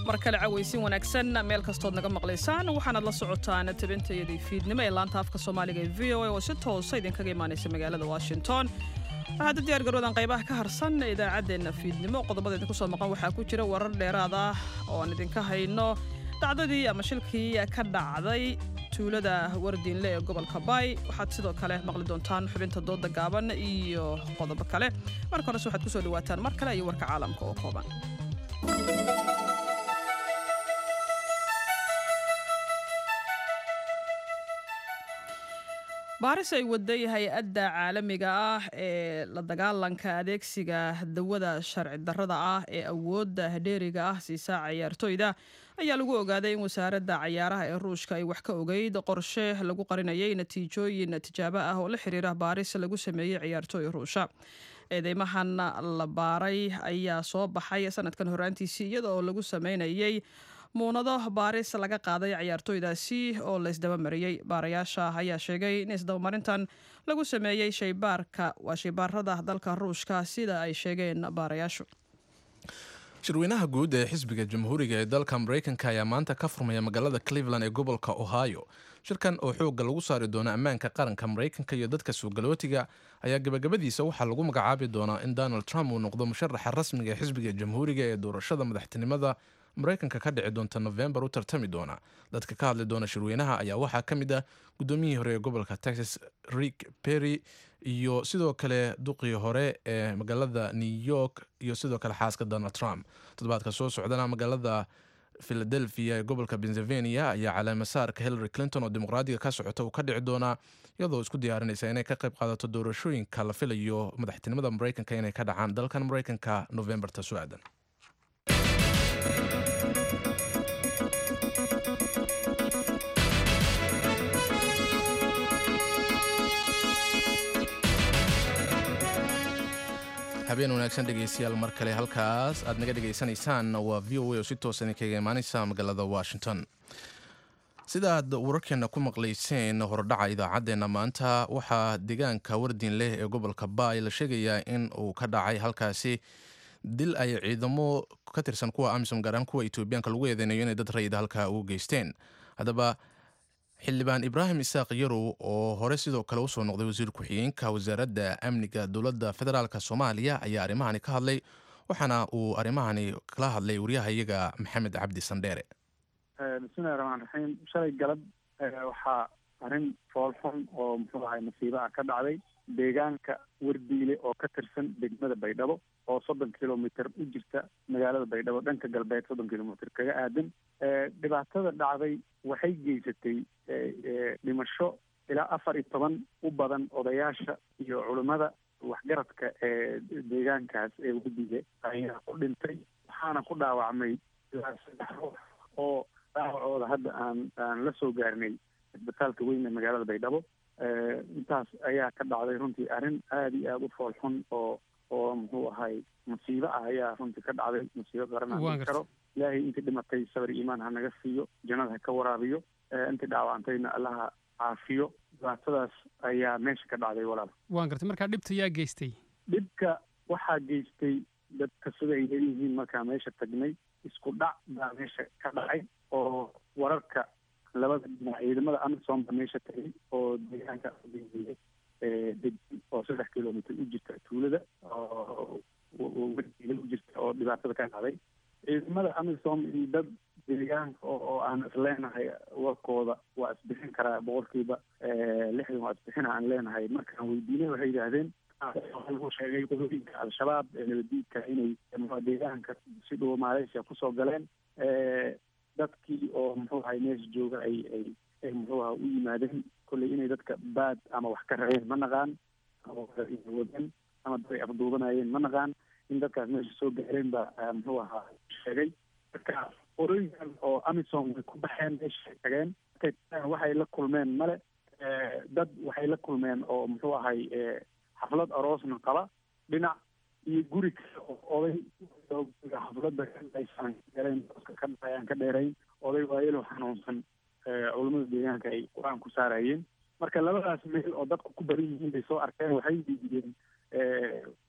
Mar kale cawaysin wanaagsan meel kastood naga maqlaysaan. Waxaanaad la socotaan tabintayadii fiidnimo ee laanta afka Soomaaliga ee VOA oo si toosa idinkaga imaanaysa magaalada Washington. Waxaad u diyaar garoodan qaybaha ka harsan idaacaddeenna fiidnimo. Qodobada idinku soo maqan waxaa ku jira warar dheeraad ah oo aan idinka hayno dhacdadii ama shilkii ka dhacday tuulada Wardiinle ee gobolka Baay. Waxaad sidoo kale maqli doontaan xubinta dooda gaaban iyo qodobo kale. Marka horese waxaad kusoo dhawaataan mar kale iyo warka caalamka oo kooban. Baaris ay waday hay-adda caalamiga ah ee la dagaalanka adeegsiga dawada sharci darrada ah ee awoodda dheeriga ah siisa cayaartooyda ayaa lagu ogaaday in wasaaradda cayaaraha ee Ruushka ay wax ka ogeyd qorshe lagu qarinayay natiijooyin tijaabo ah oo la xiriira baaris lagu sameeyey ciyaartooy Ruusha. Eedeymahan la baaray ayaa soo baxay sanadkan horaantiisii iyada oo lagu sameynayay Muunado baaris laga qaaday ciyaartooydaasi oo la isdabamariyey. Baarayaasha ayaa sheegay in isdabamarintan lagu sameeyey shaybaarka, waa shaybaarada dalka Ruushka, sida ay sheegeen baarayaashu. Shirweynaha guud ee xisbiga Jamhuuriga ee dalka Maraykanka ayaa maanta ka furmaya magaalada Cleveland ee gobolka Ohio. Shirkan oo xoogga lagu saari doono ammaanka qaranka Maraykanka iyo dadka suugalootiga ayaa gabagabadiisa waxaa lagu magacaabi doonaa in Donald Trump uu noqdo musharaxa rasmiga ee xisbiga Jamhuuriga ee doorashada madaxtinimada Maraykanka ka dhici doonta Nofembar u tartami doona. Dadka ka hadli doona shirweynaha ayaa waxaa ka mid ah gudoomiyihii hore ee gobolka Texas, Rick Perry, iyo sidoo kale duqii hore ee magaalada New York, iyo sidoo kale xaaska Donald Trump. Toddobaadka soo socdana magaalada Philadelphia ee gobolka Pennsylvania ayaa caleemasaarka Hillary Clinton oo Dimuqraadiga ka socota uu ka dhici doonaa, iyadoo isku diyaarinaysa inay ka qayb qaadato doorashooyinka la filayo madaxtinimada Maraykanka inay ka dhacaan dalkan Maraykanka Novembarta soo aadan. Habeen wanaagsan, dhegeystayaal, mar kale. Halkaas aad naga dhegeysanaysaan waa VOA oo si toosan kaga imaaneysa magaalada Washington. Sidaad wararkeena ku maqlayseen hordhaca idaacaddeenna maanta, waxaa deegaanka Wardiin leh ee gobolka Baay la sheegayaa in uu ka dhacay halkaasi dil ay ciidamo ka tirsan kuwa AMISOM, gaar ahaan kuwa Etoobiyaanka, lagu eedeynayo inay dad rayida halkaa ugu geysteen. Haddaba Xildhibaan Ibraahim Isaaq Yarow, oo hore sidoo kale usoo noqday wasiir ku-xigeenka wasaaradda amniga dowladda federaalka Soomaaliya, ayaa arrimahani ka hadlay, waxaana uu arrimahani kala hadlay wariyaha iyaga Maxamed Cabdi Sandheere. Bismillahi raxmaan raxiim. Shalay galab waxaa arrin foolxun oo, muxuu ahay, masiibo ah ka dhacday deegaanka Wardiile oo ka tirsan degmada Baydhabo, oo 30 kilomitr u jirta magaalada Baydhabo, dhanka galbeed 30 kilomitr kaga aadan. Dhibaatada dhacday waxay geysatay dhimasho ilaa 14 u badan odayaasha iyo culimmada waxgaradka ee deegaankaas ee Wardiile ayaa ku dhintay, waxaana ku dhaawacmay ilaa saddex ruux oo dhaawacooda hadda aan la soo gaarnay isbitaalka weyn ee magaalada Baydhabo. Intaas ayaa ka dhacday. Runtii arrin aada iyo aada u fool xun oo, muxuu ahay, musiibo ah ayaa runtii ka dhacday, musiibo qaran aan dhihi karo. Ilaahay intii dhimatay sabir iimaan ha naga siiyo, jannada ha ka waraabiyo, intii dhaawacantayna Allaha caafiyo. Dhibaatadaas ayaa meesha ka dhacday, walaal. Waan gartay. Markaa dhibta yaa geystay? Dhibka waxaa geystay dadka sida ay leeyihiin markaa meesha tagnay, isku dhac baa meesha ka dhacay oo wararka labada dhinac. Ciidamada AMISOM baa meesha tagay oo deegaanka degan oo 3 kilomitr u jirta tuulada oo Wardiile u jirta oo dhibaatada ka dhacday. Ciidamada AMISOM iyo dad deegaanka oo aan isleenahay warkooda waa isbixin karaa, 60% waa isbixina aan leenahay, markaan weydiinay waxay yidhaahdeen waxaa lagu sheegay qodooyinka Al-Shabaab ee nabadiidka inay deegaanka si dhowo Malaysia kusoo galeen, dadkii oo, muxuu ahay, meesha jooga ay muxuu aha u yimaadeen kolley inay dadka baad ama wax ka rabeen ma naqaan, ama wadeen ama dad ay afduubanayeen ma naqaan. In dadkaas meesha soo gaareen baa, muxuu ahaa, sheegay. Marka qolooyinkan oo AMISOM way ku baxeen, meesha tageen. Markay tageen waxay la kulmeen male. Dad waxay la kulmeen oo, muxuu ahay, xaflad aroosna qaba dhinac iyo guri kale oo oday xafladda aysan galeen ka dhayaan ka dheerayn, oday waayelo xanuunsan culamada deegaanka ay Qur-aan ku saarayeen. Marka labadaas meel oo dadku ku badan yihiin bay soo arkeen. Waxay diideen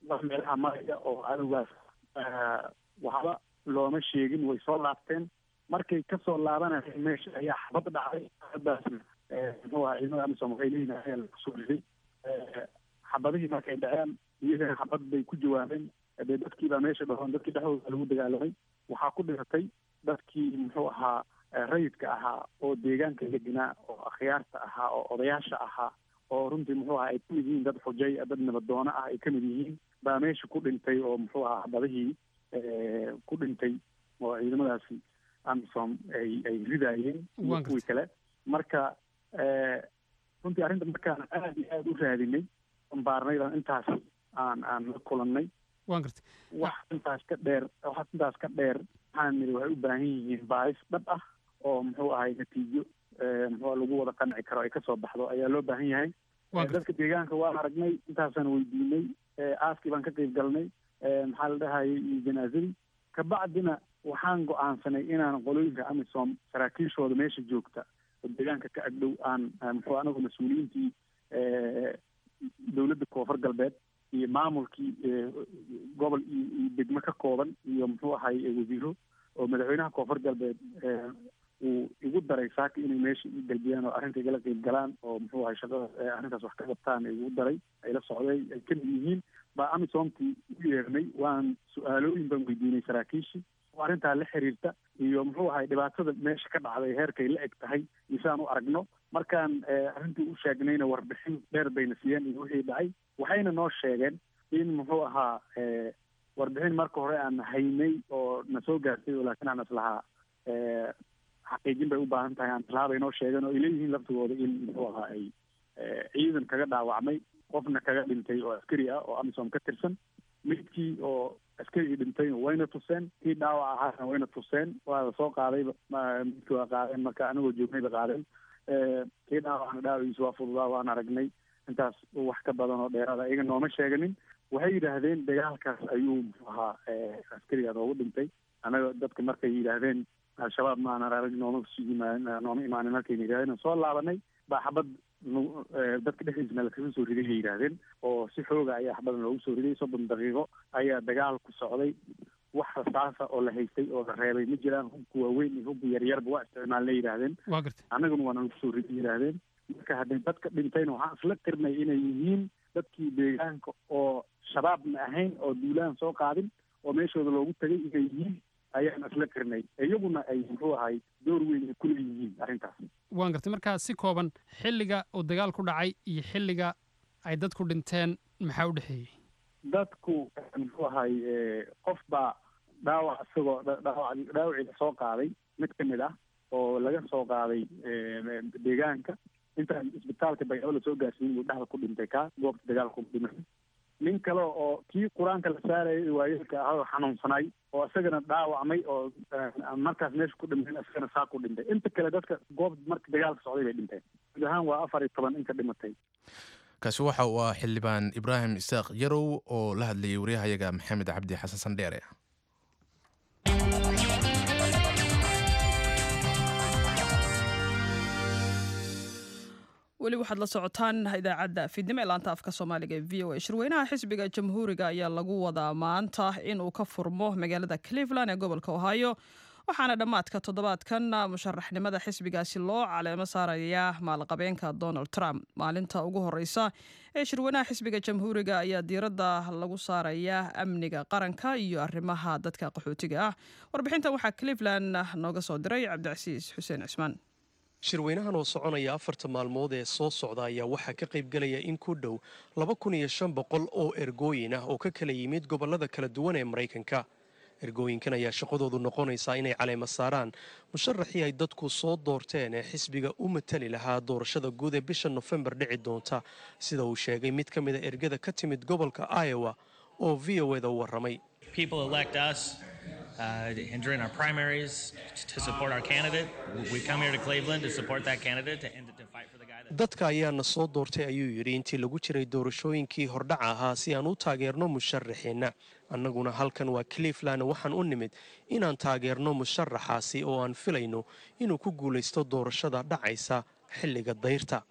wax meelaha maraya oo cadowgaas waxba looma sheegin. Way soo laabteen. Markay kasoo laabanayeen meesha ayaa xabad dhacday. Xabadaasna, muxuu ahaa, ciidamada AMISOM waxay leeyihin ayaa lagu riday. Xabadihii markay dhaceen iyagana xabad bay ku jawaabeen. Dee dadkii baa meesha dhahoon, dadkii dhexdooda lagu dagaalamay. Waxaa ku dhimatay dadkii, muxuu ahaa, rayidka ahaa oo deegaanka degnaa oo akhyaarta ahaa oo odayaasha ahaa oo runtii, muxuu ahaa, ay kamid yihiin dad xujay, dad nabadoono ah ay kamid yihiin baa meesha ku dhintay oo, muxuu ahaa, xabadihii ku dhintay oo ciidamadaasi AMISOM ay ridaayeen iyo kuwii kale. Marka runtii arrinta markaan aada iyo aada u raadinay, baarnay, baan intaas aan la kulannay. Waan gartay. Wax intaas ka dheer waxaan niri waxay u baahan yihiin baaris dhab ah oo, muxuu ahay, natiijo, muxuu lagu wada qanci karo ay kasoo baxdo ayaa loo baahan yahay. Dadka deegaanka waan aragnay, intaasaan weydiinay, aaskii baan ka qayb galnay, maxaa la dhahayay, iyo janaazadii. Kabacdina Waxaan go-aansanay inaan qolooyinka AMISOM saraakiishooda meesha joogta oo deegaanka ka agdhow aan muxuu anagu mas-uuliyiintii dowladda Koonfur Galbeed iyo maamulkii gobol iyo degmo ka kooban iyo muxuu ahay wasiiro oo madaxweynaha Koonfur Galbeed uu igu daray saaka inay meesha i galbiyaan oo arrinta igala qeyb galaan oo muxuu ahay shaqada arrintaas wax ka qabtaan igu daray, ay la socday, ay kamid yihiin baa AMISOMtii u yeernay. Waan su-aalooyin baan weydiinay saraakiishii oo arrintaa la xiriirta iyo muxuu ahay dhibaatada meesha ka dhacday heerkay la eg tahay isaan u aragno. Markaan arrintii u sheegnayna warbixin dheer bayna siiyeen iyo wixii dhacay. Waxayna noo sheegeen in muxuu ahaa warbixin marka hore aan haynay oo na soo gaartay oo laakiin aan islahaa xaqiijin bay u baahan tahay, aan islahaa bay noo sheegeen oo ay leeyihiin laftigooda in muxuu ahaa ay ciidan kaga dhaawacmay, qofna kaga dhintay oo askari ah oo AMISOM ka tirsan. Midkii oo askarigii dhintayna wayna tuseen, kii dhaawac ahaana wayna tuseen, waa la soo qaadayba, midkii waa qaadeen marka anagoo joognayba qaadeen. Kii dhaawacna dhaawaciisa waa fududaa, waan aragnay. Intaas wax ka badan oo dheeraada iyaga nooma sheeganin. Waxay yidhaahdeen dagaalkaas ayuu muxuu ahaa askarigaa noogu dhintay. Anaga dadka markay yidhaahdeen Al-Shabaab ma aanan arag, nooma nooma imaanin, markayna yidhahdeen soo laabanay baa xabad dadka dhexdiisna lakaga soo riday bay yidhaahdeen, oo si xooga ayaa xabadan loogu soo riday. 30 daqiiqo ayaa dagaalku socday, wax rasaasa oo la haystay oo la reebay ma jiraan. Hubka waaweyn iyo hubka yaryarba waa isticmaalnay yidhaahdeen, annaguna waana lagu soo riday yidhaahdeen. Marka hadday dadka dhintayna waxaan isla qirnay inay yihiin dadkii deegaanka oo Shabaabna ahayn oo duulaan soo qaadin oo meeshooda loogu tagay inay yihiin ayaan isla qirnay, iyaguna ay muxuu ahay door weyn ay ku leeyihiin arrintaas. Waan gartay. Markaa si kooban, xilliga uu dagaal ku dhacay iyo xilliga ay dadku dhinteen maxaa u dhexeeyey? Dadku muxuu ahay qof baa dhaawac isagoo dhaawacii lasoo qaaday mid ka mid ah oo laga soo qaaday deegaanka intaan isbitaalka Baydhabo lasoo gaarsiin buu dhexda ku dhintay, kaa goobta dagaalku dhimay. Nin kale oo kii qur-aanka la saarayay waayeelka ahaa oo xanuunsanay oo isagana dhaawacmay oo markaas meesha ku dhintay, isagana saa ku dhintay. Inta kale dadka goob marka dagaalka socday bay dhinteen. Guud ahaan waa 14 inta dhimatay. Kaasi waxa uu ah Xildhibaan Ibraahim Isaaq Yarow oo la hadlayay waryahayaga Maxamed Cabdi Xasan Sandheere. Weli waxaad la socotaan idaacadda fiidnimo ee laanta afka Soomaaliga ee VOA. Shirweynaha xisbiga Jamhuuriga ayaa lagu wadaa maanta inuu ka furmo magaalada Cleveland ee gobolka Ohio, waxaana dhammaadka toddobaadkan musharaxnimada xisbigaasi loo caleemo saarayaa maalqabeenka Donald Trump. Maalinta ugu horeysa ee shirweynaha xisbiga Jamhuuriga ayaa diiradda lagu saarayaa amniga qaranka iyo arrimaha dadka qaxootiga ah. Warbixintan waxaa Cleveland nooga soo diray Cabdicasiis Xuseen Cismaan. Shirweynahan oo soconaya 4ta maalmood ee soo socda ayaa waxaa ka qaybgelaya in ku dhow 2500 oo ergooyin ah oo ka kala yimid gobollada kala duwan ee Maraykanka. Ergooyinkan ayaa shaqadoodu noqonaysaa inay caleema saaraan musharaxii ay dadku soo doorteen ee xisbiga u matali lahaa doorashada guud ee bisha Nofembar dhici doonta, sida uu sheegay mid ka mida ergada ka timid gobolka Iowa oo VOA da u warramay. During our primaries to support our candidate. We come here to Cleveland to support that candidate and to fight for the guy that. Dadka ayaana soo doortay, ayuu yidhi, intii lagu jiray doorashooyinkii hordhaca ahaa si aan u taageerno musharaxeenna. Annaguna halkan waa Cleveland, waxaan u nimid inaan taageerno musharaxaasi oo aan filayno inuu ku guulaysto doorashada dhacaysa xilliga dayrta.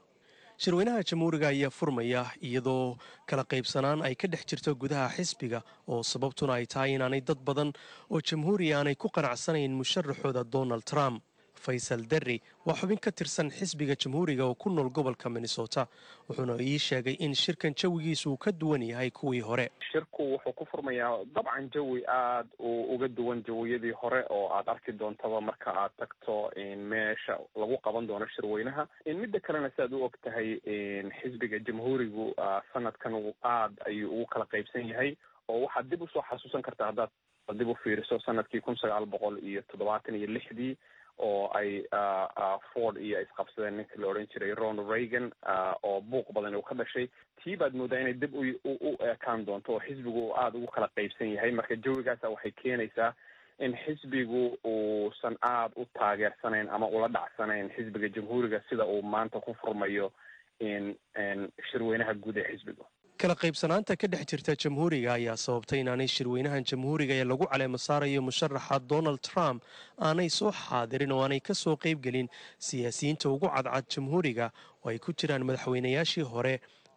Shirweynaha Jamhuuriga ayaa furmaya iyadoo kala qaybsanaan ay ka dhex jirto gudaha xisbiga, oo sababtuna ay tahay inaanay dad badan oo jamhuuriya aanay ku qanacsanayn musharaxooda Donald Trump. Faysal Derri waa xubin ka tirsan xisbiga Jamhuuriga oo ku nool gobolka Minnesota, wuxuuna ii sheegay in shirkan jawigiisu uu ka duwan yahay kuwii hore. Shirku wuxuu ku furmayaa dabcan jawi aada u uga duwan jawiyadii hore oo aad arki doontaba marka aad tagto meesha lagu qaban doono shirweynaha. Midda kalena, siaad u og tahay, xisbiga Jamhuurigu sanadkan aada ayuu ugu kala qaybsan yahay, oo waxaad dib usoo xasuusan kartaa haddaad dib u fiiriso sanadkii 1976dii oo ay Ford iyo ay isqabsadeen ninka la odhan jiray Ronald Reagan oo buuq badan uu ka dhashay. Tii baad moodaa inay dib u ekaan doonto oo xisbigu uu aada ugu kala qaybsan yahay. Marka jawigaasa waxay keenaysaa in xisbigu uusan aada u taageersanayn ama ula dhacsanayn xisbiga Jamhuuriga sida uu maanta ku furmayo in shirweynaha guud ee xisbigu. Kala qaybsanaanta ka dhex jirta Jamhuuriga ayaa sababtay inaanay shirweynahan Jamhuuriga ee lagu caleemo saarayo musharaxa Donald Trump aanay soo xaadirin oo aanay ka soo qaybgelin siyaasiyiinta ugu cadcad Jamhuuriga, oo ay ku jiraan madaxweynayaashii hore,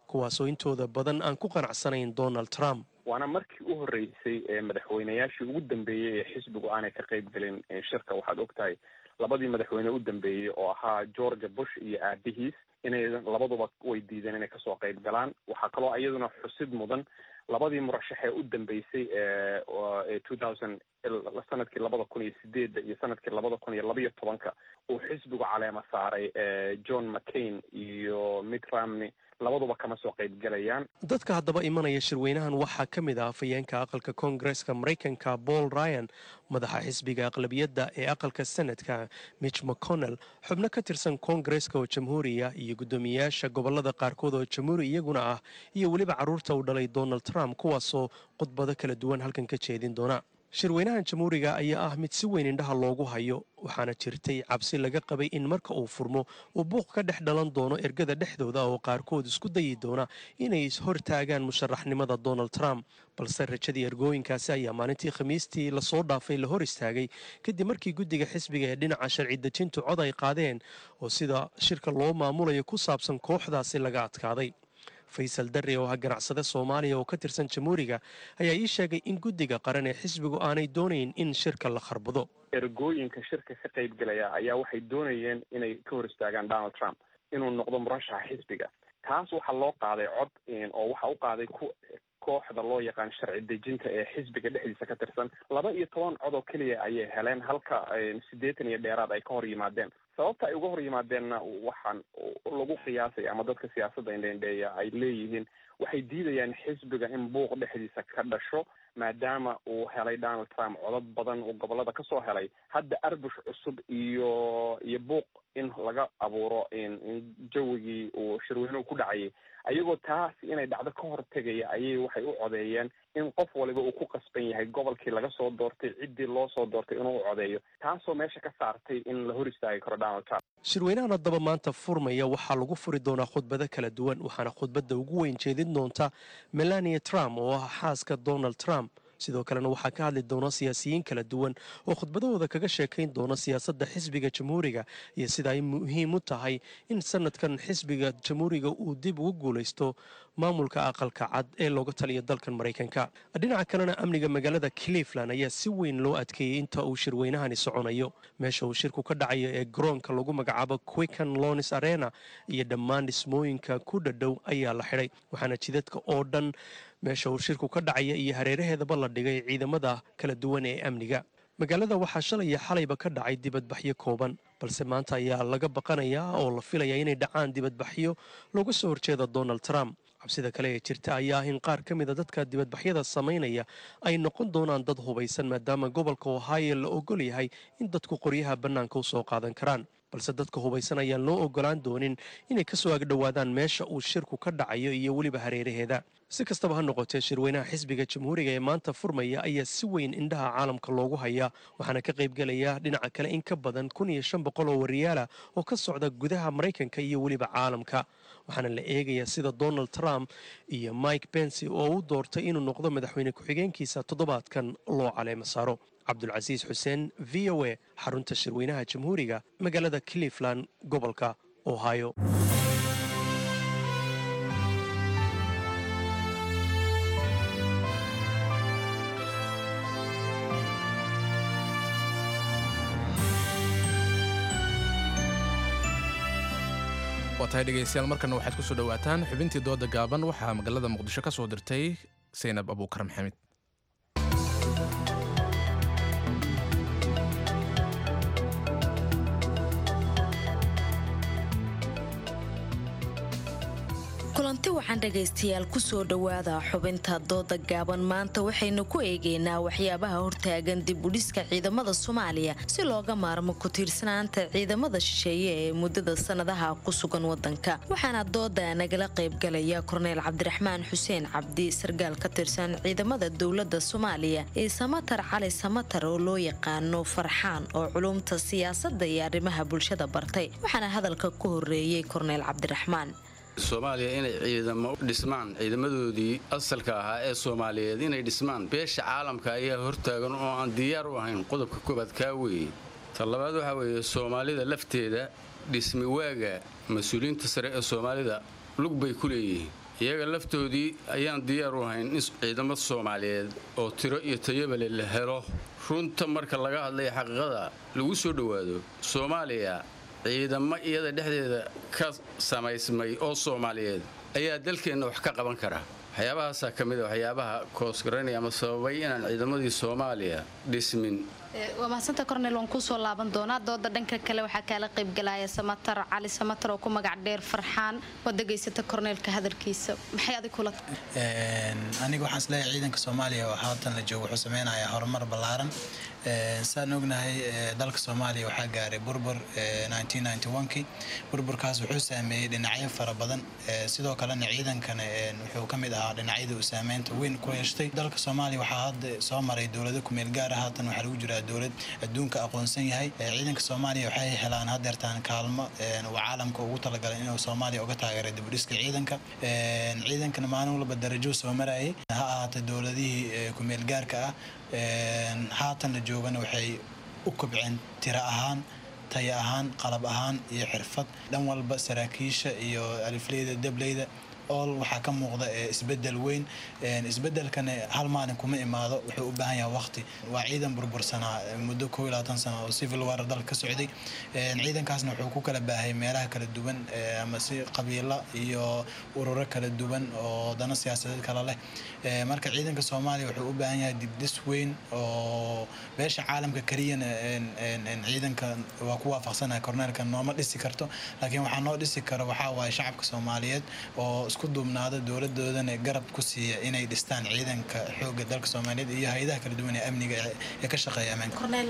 kuwaasoo intooda badan aan ku qanacsanayn Donald Trump. Waana markii u horreysay ee madaxweynayaashii ugu dambeeyey ee xisbigu aanay ka qayb gelin shirka. Waxaad ogtahay labadii madaxweyne u dambeeyey oo ahaa Georgia Bush iyo aabihiis inay labaduba way diideen inay kasoo qayb galaan. Waxaa kaloo iyaduna xusid mudan labadii murashax ee u dambeysay ee 2000, sanadkii 2008-da iyo sanadkii 2012-ka uu xisbigu caleema saaray, John McCain iyo Mitt Romney, labaduba kama soo qayb galayaan. Dadka haddaba imanaya shirweynahan waxaa ka mid ah afhayeenka aqalka Koongareska Maraykanka Paul Ryan, madaxa xisbiga aqlabiyadda ee aqalka Senadka Mitch McConnell, xubno ka tirsan Koongareska oo Jamhuuriya iyo guddoomiyeyaasha gobolada qaarkood oo Jamhuuri iyaguna ah, iyo weliba carruurta uu dhalay Donald Trump, kuwaasoo khudbado kala duwan halkan ka jeedin doona. Shirweynahan Jamhuuriga ayaa ah mid si weyn indhaha loogu hayo, waxaana jirtay cabsi laga qabay in marka uu furmo uu buuq ka dhex dhalan doono ergada dhexdooda, oo qaarkood isku dayi doona inay ishortaagaan musharaxnimada Donald Trump. Balse rajadii ergooyinkaasi ayaa maalintii Khamiistii lasoo dhaafay la hor istaagay, kadib markii guddiga xisbiga ee dhinaca sharci dejintu cod ay qaadeen oo sida shirka loo maamulayo ku saabsan kooxdaasi laga adkaaday. Faysal Darre, oo ah ganacsade Soomaaliya oo ka tirsan Jamhuuriga, ayaa ii sheegay in guddiga qaran ee xisbigu aanay doonayn in shirka la kharbado. Ergooyinka shirka ka qayb galaya ayaa waxay doonayeen inay ka hor istaagaan Donald Trump inuu noqdo murashaxa xisbiga. Taas waxaa loo qaaday cod, oo waxa u qaaday ku kooxda loo yaqaan sharci dejinta ee xisbiga dhexdiisa ka tirsan. 12 cod oo keliya ayay heleen, halka 80 iyo dheeraad ay ka hor yimaadeen. Sababta ay uga hor yimaadeenna waxaan lagu qiyaasaya ama dadka siyaasadda indheindheeya ay leeyihiin waxay diidayaan xisbiga in buuq dhexdiisa ka dhasho, maadaama uu helay Donald Trump codad badan uu gobolada kasoo helay. Hadda arbush cusub iyo buuq in laga abuuro jawigii uu shirweynuhu ku dhacayay, ayagoo taas inay dhacdo ka hortegaya, ayay waxay u codeeyeen in qof waliba uu ku qasban yahay gobolkii laga soo doortay, ciddii loo soo doortay, inuu u codeeyo, taasoo meesha ka saartay in la hor istaagi karo Donald Trump. Shirweynahan haddaba maanta furmaya waxaa lagu furi doonaa khudbado kala duwan, waxaana khudbadda ugu weyn jeedin doonta Melania Trump oo ah xaaska Donald Trump. Sidoo kalena waxaa ka hadli doona siyaasiyiin kala duwan oo khudbadahooda kaga sheekayn doona siyaasadda xisbiga Jamhuuriga iyo sida ay muhiim u tahay in sanadkan xisbiga Jamhuuriga uu dib ugu guulaysto maamulka Aqalka Cad ee looga taliyo dalkan Maraykanka. Dhinaca kalena, amniga magaalada Cleveland ayaa si weyn loo adkeeyey inta uu shirweynahani soconayo. Meesha uu shirku ka dhacayo ee garoonka lagu magacaabo Quicken Loans Arena iyo dhammaan dhismooyinka ku dhadhow ayaa la xidhay, waxaana jidadka oo dhan meesha uu shirku ka dhacaya iyo hareeraheedaba la dhigay ciidamada kala duwan ee amniga magaalada. Waxaa shalay iyo xalayba ka dhacay dibadbaxyo kooban, balse maanta ayaa laga baqanayaa oo la filayaa inay dhacaan dibadbaxyo looga soo horjeeda Donald Trump. Cabsida kale ee jirta ayaa ah in qaar ka mida dadka dibadbaxyada samaynaya ay noqon doonaan dad hubaysan, maadaama gobolka Ohio la ogol yahay in dadku qoryaha bannaanka usoo qaadan karaan. Balse dadka hubaysan ayaan loo ogolaan doonin inay kasoo agdhowaadaan meesha uu shirku ka dhacayo iyo weliba hareeraheeda. Si kastaba ha noqotee, shirweynaha xisbiga Jamhuuriga ee maanta furmaya ayaa si weyn indhaha caalamka loogu hayaa, waxaana ka qaybgelaya dhinaca kale in ka badan 1500 oo wariyaala oo ka socda gudaha Maraykanka iyo weliba caalamka, waxaana la eegayaa sida Donald Trump iyo Mike Pence oo u doortay inuu noqdo madaxweyne ku-xigeenkiisa toddobaadkan loo caleemo saaro. Cabdulcasiis Xuseen, VOA, xarunta shirweynaha Jamhuuriga, magaalada Cleveland, gobolka Ohio. Waa tahay dhegaystayaal, markana waxaad kusoo dhowaataan xubintii dooda gaaban. Waxaa magaalada Muqdisho ka soo dirtay Saynab Abuukar Maxamed. Kulanti waxaan dhegaystayaal, kusoo dhowaada xubinta dooda gaaban. Maanta waxaynu ku eegaynaa waxyaabaha hortaagan dib udhiska ciidamada Soomaaliya si looga maarmo ku-tiirsanaanta ciidamada shisheeye ee muddada sanadaha ku sugan wadanka. Waxaana dooda nagala qaybgalaya Korneyl Cabdiraxmaan Xuseen Cabdi, sargaal ka tirsan ciidamada dowlada Soomaaliya, iyo Samatar Cali Samatar oo loo yaqaano Farxaan, oo culumta siyaasada iyo arrimaha bulshada bartay. Waxaana hadalka ku horeeyey Korneyl Cabdiraxmaan. Soomaaliya inay ciidamo dhismaan, ciidamadoodii asalka ahaa ee Soomaaliyeed inay dhismaan, beesha caalamka ayaa hortaagan oo aan diyaar u ahayn. Qodobka koobaad kaa weeye. Ta labaad waxaa weeye Soomaalida lafteeda dhismi waaga mas-uuliyiinta sare ee Soomaalida lug bay ku leeyihiin. Iyaga laftoodii ayaan diyaar u ahayn in ciidamo Soomaaliyeed oo tiro iyo tayabale la helo. Runta marka laga hadlaya, xaqiiqada lagu soo dhowaado, Soomaaliya ciidamo iyada dhexdeeda ka samaysmay oo Soomaaliyeed ayaa dalkeenna wax ka qaban kara. Waxyaabahaasaa ka mid a waxyaabaha koosgaranaya ama sababay inaan ciidamadii Soomaaliya dhismin. Waa mahadsanta Cornel, waan kuusoo laaban doonaa dooda. Dhanka kale waxaa kaala qaybgalaya Samatar Cali Samatar oo ku magac dheer Farxaan. Waad dhegaysata Corneelka hadalkiisa, maxay adig kula? Aniga waxaan isleeyahay ciidanka Soomaaliya oo haatan la joogo wuxuu sameynayaa horumar ballaaran. Saan ognahay, dalka Soomaaliya waxaa gaaray burbur 1991kii. Burburkaas wuxuu saameeyey dhinacyo fara badan, sidoo kalena ciidankana wuxuu ka mid ahaa dhinacyada uu saameynta weyn ku yeeshtay. Dalka Soomaaliya waxaa hadda soo maray dowlado kumeel gaar ah, haatan waxaa lagu jiraa dowlad adduunka aqoonsan yahay. Ciidanka Soomaaliya waxay helaan hadeertaan kaalmo uu caalamka ugu talagalay inuu Soomaaliya uga taageeray dib u dhiska ciidanka. Ciidankana maalin walba darajo soo marayay, ha ahaatee dowladihii kumeel gaarka ah haatan la joogana waxay u kobceen tiro ahaan, tayo ahaan, qalab ahaan iyo xirfad dhan walba. Saraakiisha iyo alifleyda, dableyda, all waxaa ka muuqda isbedel weyn. Isbedelkana hal maalin kuma imaado, wuxuu u baahan yahay waqti. Waa ciidan burbursanaa muddo 21 sano oo civil war dalka ka socday. Ciidankaasna wuxuu ku kala baahay meelaha kala duwan ama si qabiilo iyo ururo kala duwan oo dano siyaasadeed kala leh. Marka ciidanka Soomaaliya wuxuu u baahan yahay dibdhis weyn oo beesha caalamka keliyana ciidanka waa ku waafaqsanahay korneelka nooma dhisi karto, laakiin waxaa noo dhisi karo waxaa waaye shacabka Soomaaliyeed oo isku duubnaada, dowladoodana garab ku siiya inay dhistaan ciidanka xoogga dalka Soomaaliyeed iyo hay-adaha kala duwan ee amniga ee ka shaqeeya ammaanka. Cornel,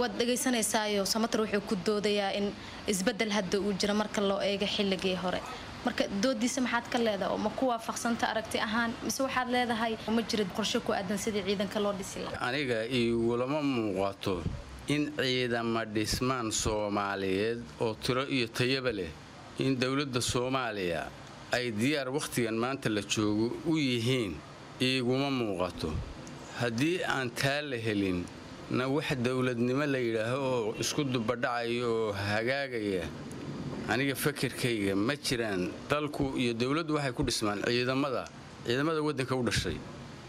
waad dhagaysanaysaayo Samatar wuxuu ku doodayaa in isbedel hadda uu jiro marka loo eego xilligii hore. Marka doodiisa maxaad ka leedahay? Oo ma ku waafaqsanta aragti ahaan, mise waxaad leedahay ma jira qorshe ku aadan sidii ciidanka loo dhisi lahaa? Aniga igulama muuqato in ciidama dhismaan Soomaaliyeed oo tiro iyo tayaba leh in dowladda Soomaaliya ay diyaar wakhtigan maanta la joogo u yihiin, iiguma muuqato. Haddii aan taa la helin na, wax dowladnimo la yidhaaho oo isku dubadhacaya oo hagaagaya aniga fakirkayga ma jiraan. Dalku iyo dowladdu waxay ku dhismaan ciidamada waddanka u dhashay.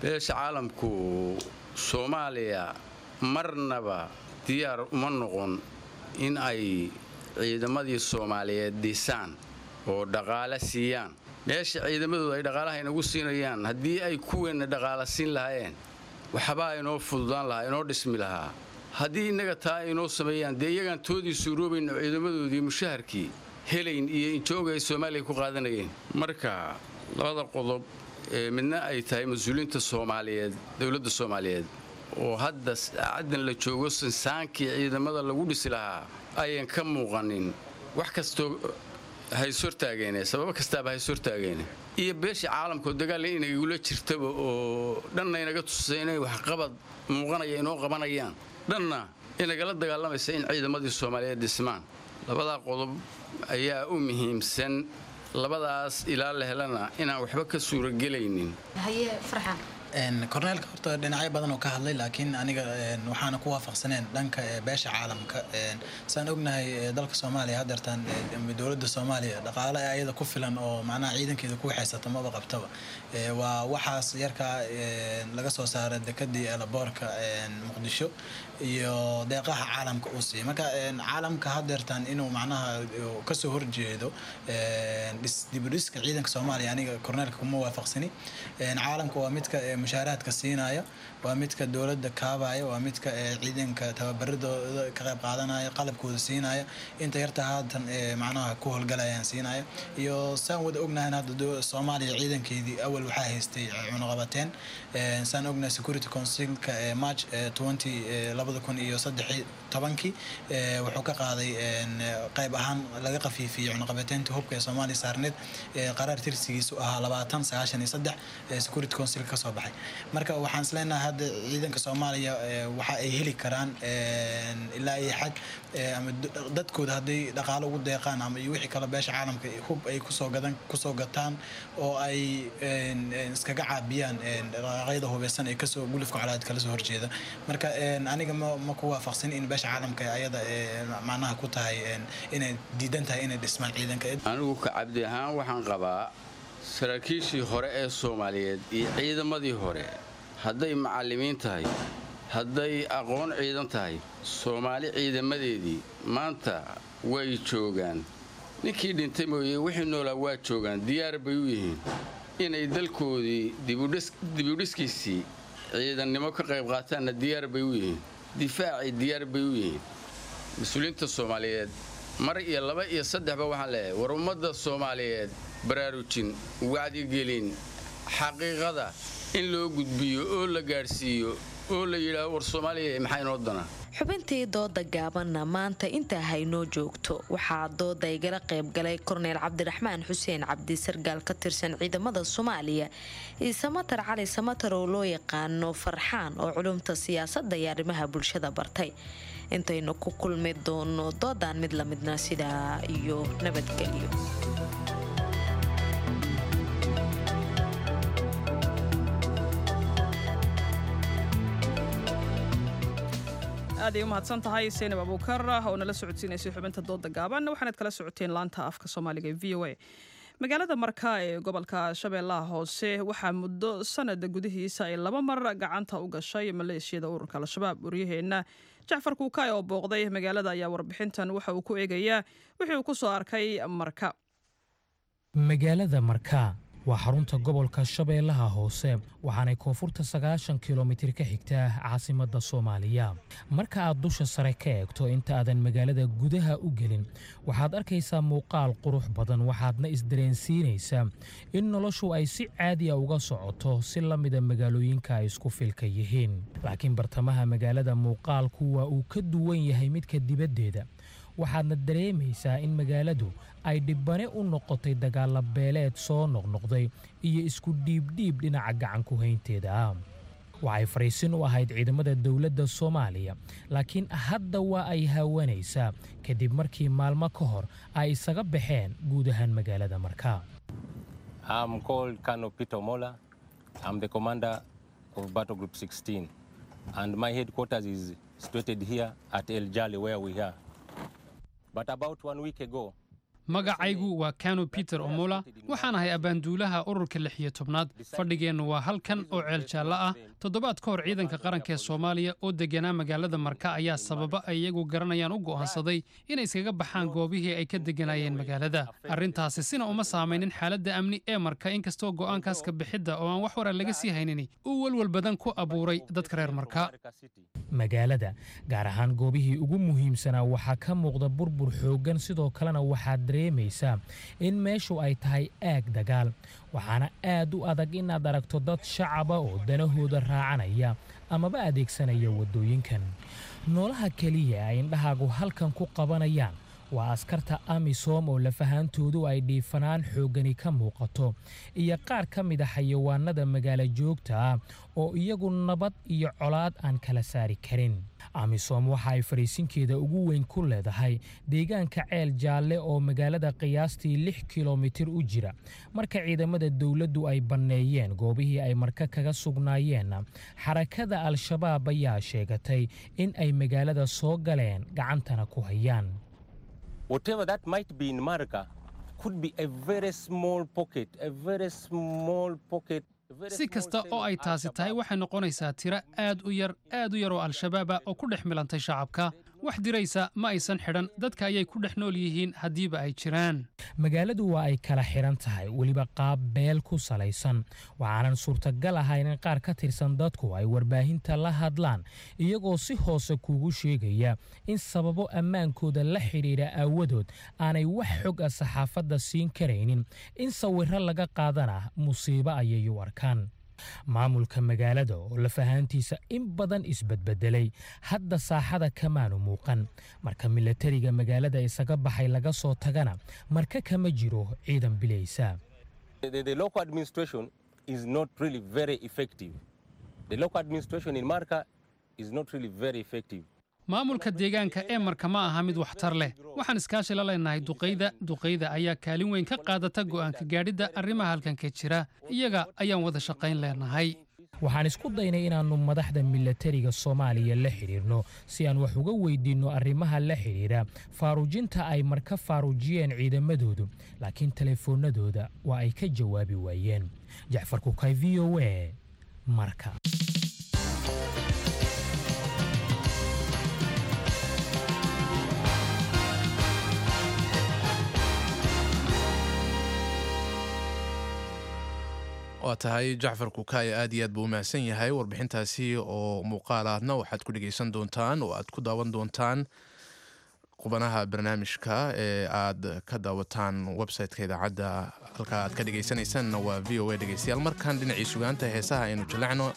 Beesha caalamku Soomaaliya marnaba diyaar uma noqon in ay ciidamadii Soomaaliyeed dhisaan oo dhaqaale siiyaan. Meesha ciidamadooda ay dhaqaalaha inagu siinayaan, haddii ay kuweenna dhaqaala siin lahaayeen, waxbaa inoo fududaan lahaa, inoo dhismi lahaa. Haddii innaga taa inoo sameeyaan, dee iyagaan toodii suuroobayno, ciidamadoodii mushaharkii helayn iyo injooga ay Soomaaliya ku qaadanayeen. Marka labada qodob ee midna ay tahay mas-uuliyiinta Soomaaliyeed, dowladda Soomaaliyeed oo hadda saacaddan la joogo sinsaankii ciidamada lagu dhisi lahaa ayan ka muuqanin, wax kastoo hayshortaageene, sababo kastaaba hayshortaageene, iyo beesha caalamkao dagaal inagula jirtaba oo dhanna inaga tusay inay waxqabad muuqanaya inoo qabanayaan, dhanna inagala dagaalamaysa in ciidamadii Soomaaliyeed dhismaan, labadaa qodob ayaa u muhiimsan. Labadaas ilaa la helana inaan waxba ka suuragelaynin. Haye Farxaan. Korneelka horta dhinacyo badan oo ka hadlay, laakiin aniga waxaana ku waafaqsaneen dhanka beesha caalamka. Saan ognahay, dalka Soomaaliya hadeertaan dowladda Soomaaliya dhaqaale ayada ku filan oo macnaha ciidankeeda ku waxaysata maba qabtaba. Waa waxaas yarkaa laga soo saaray dekadii airportka Muqdisho iyo deeqaha caalamka uu siiyay. Marka caalamka hadeertaan inuu macnaha kasoo horjeedo dibudhiska ciidanka Soomaaliya, aniga korneelka kuma waafaqsani. Caalamka waa midka mushaaraadka siinaya, waa midka dowladda kaabaya, waa midka ciidanka tababaradooda ka qayb qaadanaya, qalabkooda siinaya, inta yarta haatan macnaha ku howlgalayaan siinaya. Iyo saan wada ognahay, hadda Soomaaliya ciidankeedii awal waxaa haystay cunaqabateen. Saan ognahay, Security Councilka March 20 2013-kii wuxuu ka qaaday qayb ahaan laga qafiifiyey cunaqabateynta hubka ee Soomaaliya saarneed, qaraar tirsigiisu ahaa 2093 Security Council ka soo baxay. baxay. Marka waxaan isleenahay hadda ciidanka Soomaaliya waxa ay heli karaan ilaa iyo xad ama dadkooda hadday dhaqaalo ugu deeqaan ama iyo wixii kale beesha caalamka hub ay kusoo gataan oo ay iskaga caabiyaan dhaqaaqyada hubeysan ee kasoo gulufka colaad kala soo horjeeda. Marka aniga ma ku waafaqsan in beesha caalamka ayada macnaha ku tahay inay diidan tahay inay dhismaan ciidanka. Anigu ka Cabdi ahaan waxaan qabaa saraakiishii hore ee Soomaaliyeed iyo ciidamadii hore, hadday macallimiin tahay, hadday aqoon ciidan tahay, Soomaali ciidamadeedii maanta way joogaan. Ninkii dhintay mooye wixii noolaa waa joogaan, diyaar bay u yihiin inay dalkoodii dibudhiskiisii ciidannimo ka qayb qaataanna diyaar bay u yihiin, difaacii diyaar bay u yihiin. Mas-uuliyiinta Soomaaliyeed mar iyo laba iyo saddexba waxaan leeyahay, war ummadda Soomaaliyeed baraarujin, wacdigelin, xaqiiqada in loo gudbiyo oo la gaadhsiiyo oo la yidhaaho war Soomaaliya maxaa inoo dana. Xubintii dooda gaabanna maanta intaa haynoo joogto. Waxaa dooda igala qaybgalay Korneyl Cabdiraxmaan Xuseen Cabdi, sargaal ka tirsan ciidamada Soomaaliya, iyo Samatar Cali Samatar oo loo yaqaano Farxaan oo culumta siyaasadda iyo arrimaha bulshada bartay. Intaynu ku kulmi doono doodan mid lamidna, sidaa iyo nabadgelyo. Aad ay u mahadsan tahay Seynab Abuukar oo nala socodsiinaysay xubinta dooda gaaban. Waxaanaad kala socoteen laanta afka Soomaaliga ee VOA. Magaalada Marka ee gobolka Shabeellaha Hoose waxaa muddo sanada gudihiisa ay laba mar gacanta u gashay maleeshiyada ururka Al-Shabaab. Waryaheenna Jacfar Kuukaay oo booqday magaalada ayaa warbixintan waxa uu ku eegayaa wixii uu ku soo arkay Marka. Magaalada Marka waa xarunta gobolka Shabeellaha Hoose, waxaanay koonfurta 90 kilomitir ka xigtaa caasimadda Soomaaliya. Marka aad dusha sare ka eegto inta aadan magaalada gudaha u gelin, waxaad arkaysaa muuqaal qurux badan, waxaadna isdareensiinaysaa in noloshu ay si caadiya uga socoto, si la mida magaalooyinka ay isku filka yihiin. Laakiin bartamaha magaalada muuqaalku waa uu ka duwan yahay midka dibaddeeda, waxaadna dareemaysaa in magaaladu ay dhibbane u noqotay dagaalla beeleed soo noqnoqday iyo isku dhiibdhiib dhinaca gacan ku haynteeda ah. Waxay fariisin u ahayd ciidamada dowladda Soomaaliya, laakiin hadda waa ay haawanaysaa kadib markii maalmo ka hor ay isaga baxeen guud ahaan magaalada Marka. I'm called Colonel Peter Mola. I'm the commander of Battle Group 16. And my headquarters is situated here at El Jali, where we are. But about one week ago, Magacaygu waa Kano Peter Omola. Waxaan ahay abaanduulaha ururka 16aad. Fadhigeennu waa halkan oo Ceel Jaallo ah. Toddobaad ka hor, ciidanka qaranka ee Soomaaliya oo deganaa magaalada Marka ayaa sababa ay iyagu garanayaan u go'aansaday inay iskaga baxaan goobihii ay ka deganaayeen magaalada. Arrintaasi sina uma saamaynin xaaladda amni ee Marka, inkastoo go'aankaas ka bixidda oo aan wax wara laga sii haynin uu welwel badan ku abuuray dadka reer Marka. Magaalada, gaar ahaan goobihii ugu muhiimsanaa, waxaa ka muuqda burbur xooggan. Sidoo kalena waxaad dareemaysaa in meeshu ay tahay aag dagaal, waxaana aad u adag inaad aragto dad shacaba oo danahooda raacanaya amaba adeegsanaya waddooyinkan. Noolaha keliya ay indhahaagu halkan ku qabanayaan waa askarta AMISOM oo lafahaantoodu ay dhiifanaan xooggani ka muuqato, iyo qaar ka mid a xayawaanada magaalo joogta ah oo iyagu nabad iyo colaad aan kala saari karin. AMISOM waxa ay fariisinkeeda ugu weyn ku leedahay deegaanka Ceel Jaalle oo magaalada qiyaastii 6 kilomitir u jira. Marka ciidamada dowladdu ay banneeyeen goobihii ay Marka kaga sugnaayeen, xarakada Al-Shabaab ayaa sheegatay in ay magaalada soo galeen, gacantana ku hayaan. Whatever that might be in Marka could be a very small pocket, a very small pocket. Si kasta oo ay taasi tahay, waxay noqonaysaa tiro aad u yar, aad u yar oo Al-Shabaab ah oo ku dhex milantay shacabka. Wax diraysa ma aysan xidhan, dadka ayay ku dhex nool yihiin haddiiba ay jiraan. Magaaladu waa ay kala xidhan tahay, weliba qaab beel ku salaysan. Waxaanan suurtagal ahayn in qaar ka tirsan dadku ay warbaahinta la hadlaan, iyagoo si hoose kuugu sheegaya in sababo ammaankooda la xidhiidha aawadood aanay wax xog ah saxaafadda siin karaynin. In sawirro laga qaadana musiibo ayay u arkaan. Maamulka magaalada oo lafahaantiisa in badan isbedbedelay hadda saaxada kamaanu muuqan. Marka milatariga magaalada isaga baxay laga soo tagana, Marka kama jiro ciidan bilaysa. The local administration is not really very effective. The local administration in Marka is not really very effective. Maamulka deegaanka ee Marka ma aha mid waxtar leh. Waxaan iskaashi la leenahay duqayda. Duqayda ayaa kaalin weyn ka qaadata go'aanka gaadhidda arrimaha halkan ka jira. Iyaga ayaan wada shaqayn leenahay. Waxaan isku daynay inaannu madaxda milatariga Soomaaliya la xidhiirno si aan wax uga weydiinno arrimaha la xidhiidha faaruujinta ay Marka faaruujiyeen ciidamadoodu, laakiin telefoonadooda waa ay ka jawaabi waayeen. Jacfar Kukay, VOA, Marka. Waa tahay, Jacfar Kukaaya aad iyo aad buu u mahadsan yahay. Warbixintaasi oo muuqaal ahna waxaad ku dhegeysan doontaan oo aad ku daawan doontaan qubanaha barnaamijka ee aad ka daawataan website-ka idaacadda. Halka aad ka dhegeysanaysaanna waa VOA. Dhegeystayaal, markaan dhinacii sugaanta heesaha aynu jaleecno.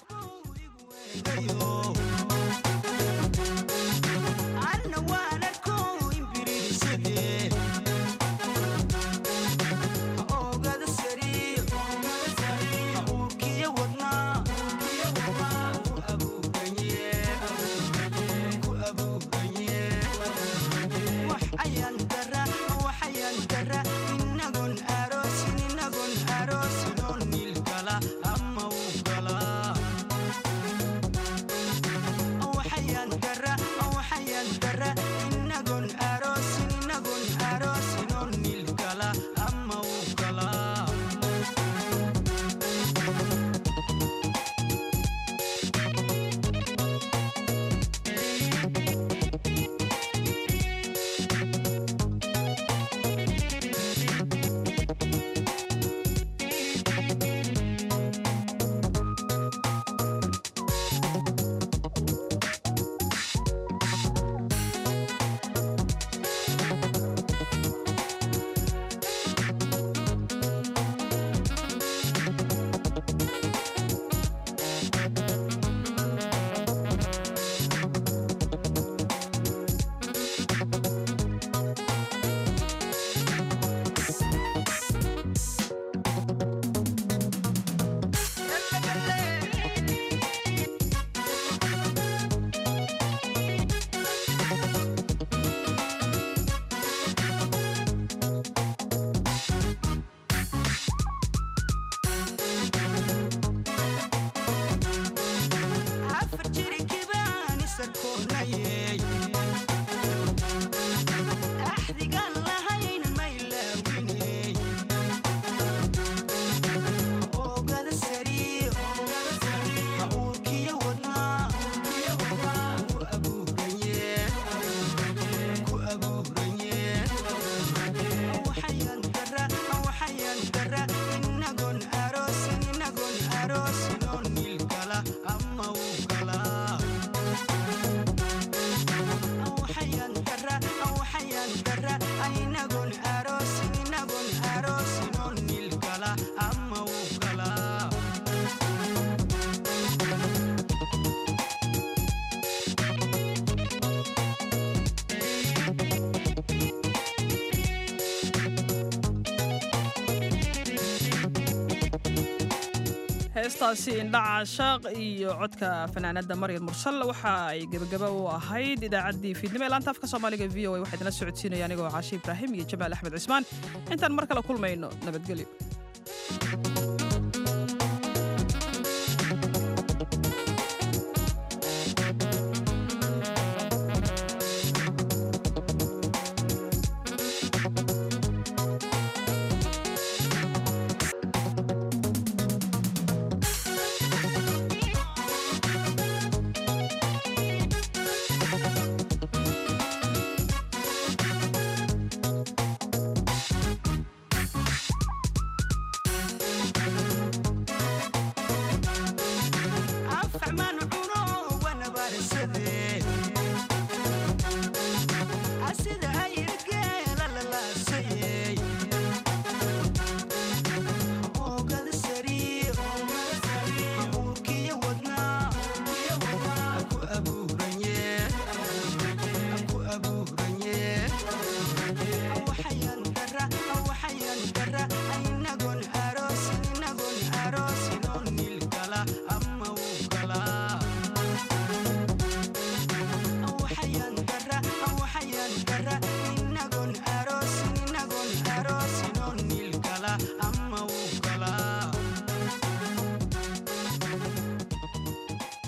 Heestaasi Indhaca Shaaq iyo codka fanaanada Maryam Mursal waxa ay gebagaba u ahayd idaacaddii fiidnimo ee laanta afka Soomaaliga VOA. Waxaa idinla socodsiinaya anigoo Caashi Ibraahim iyo Jamaal Axmed Cismaan. Intaan mar kale kulmayno, nabadgelyo. Afman.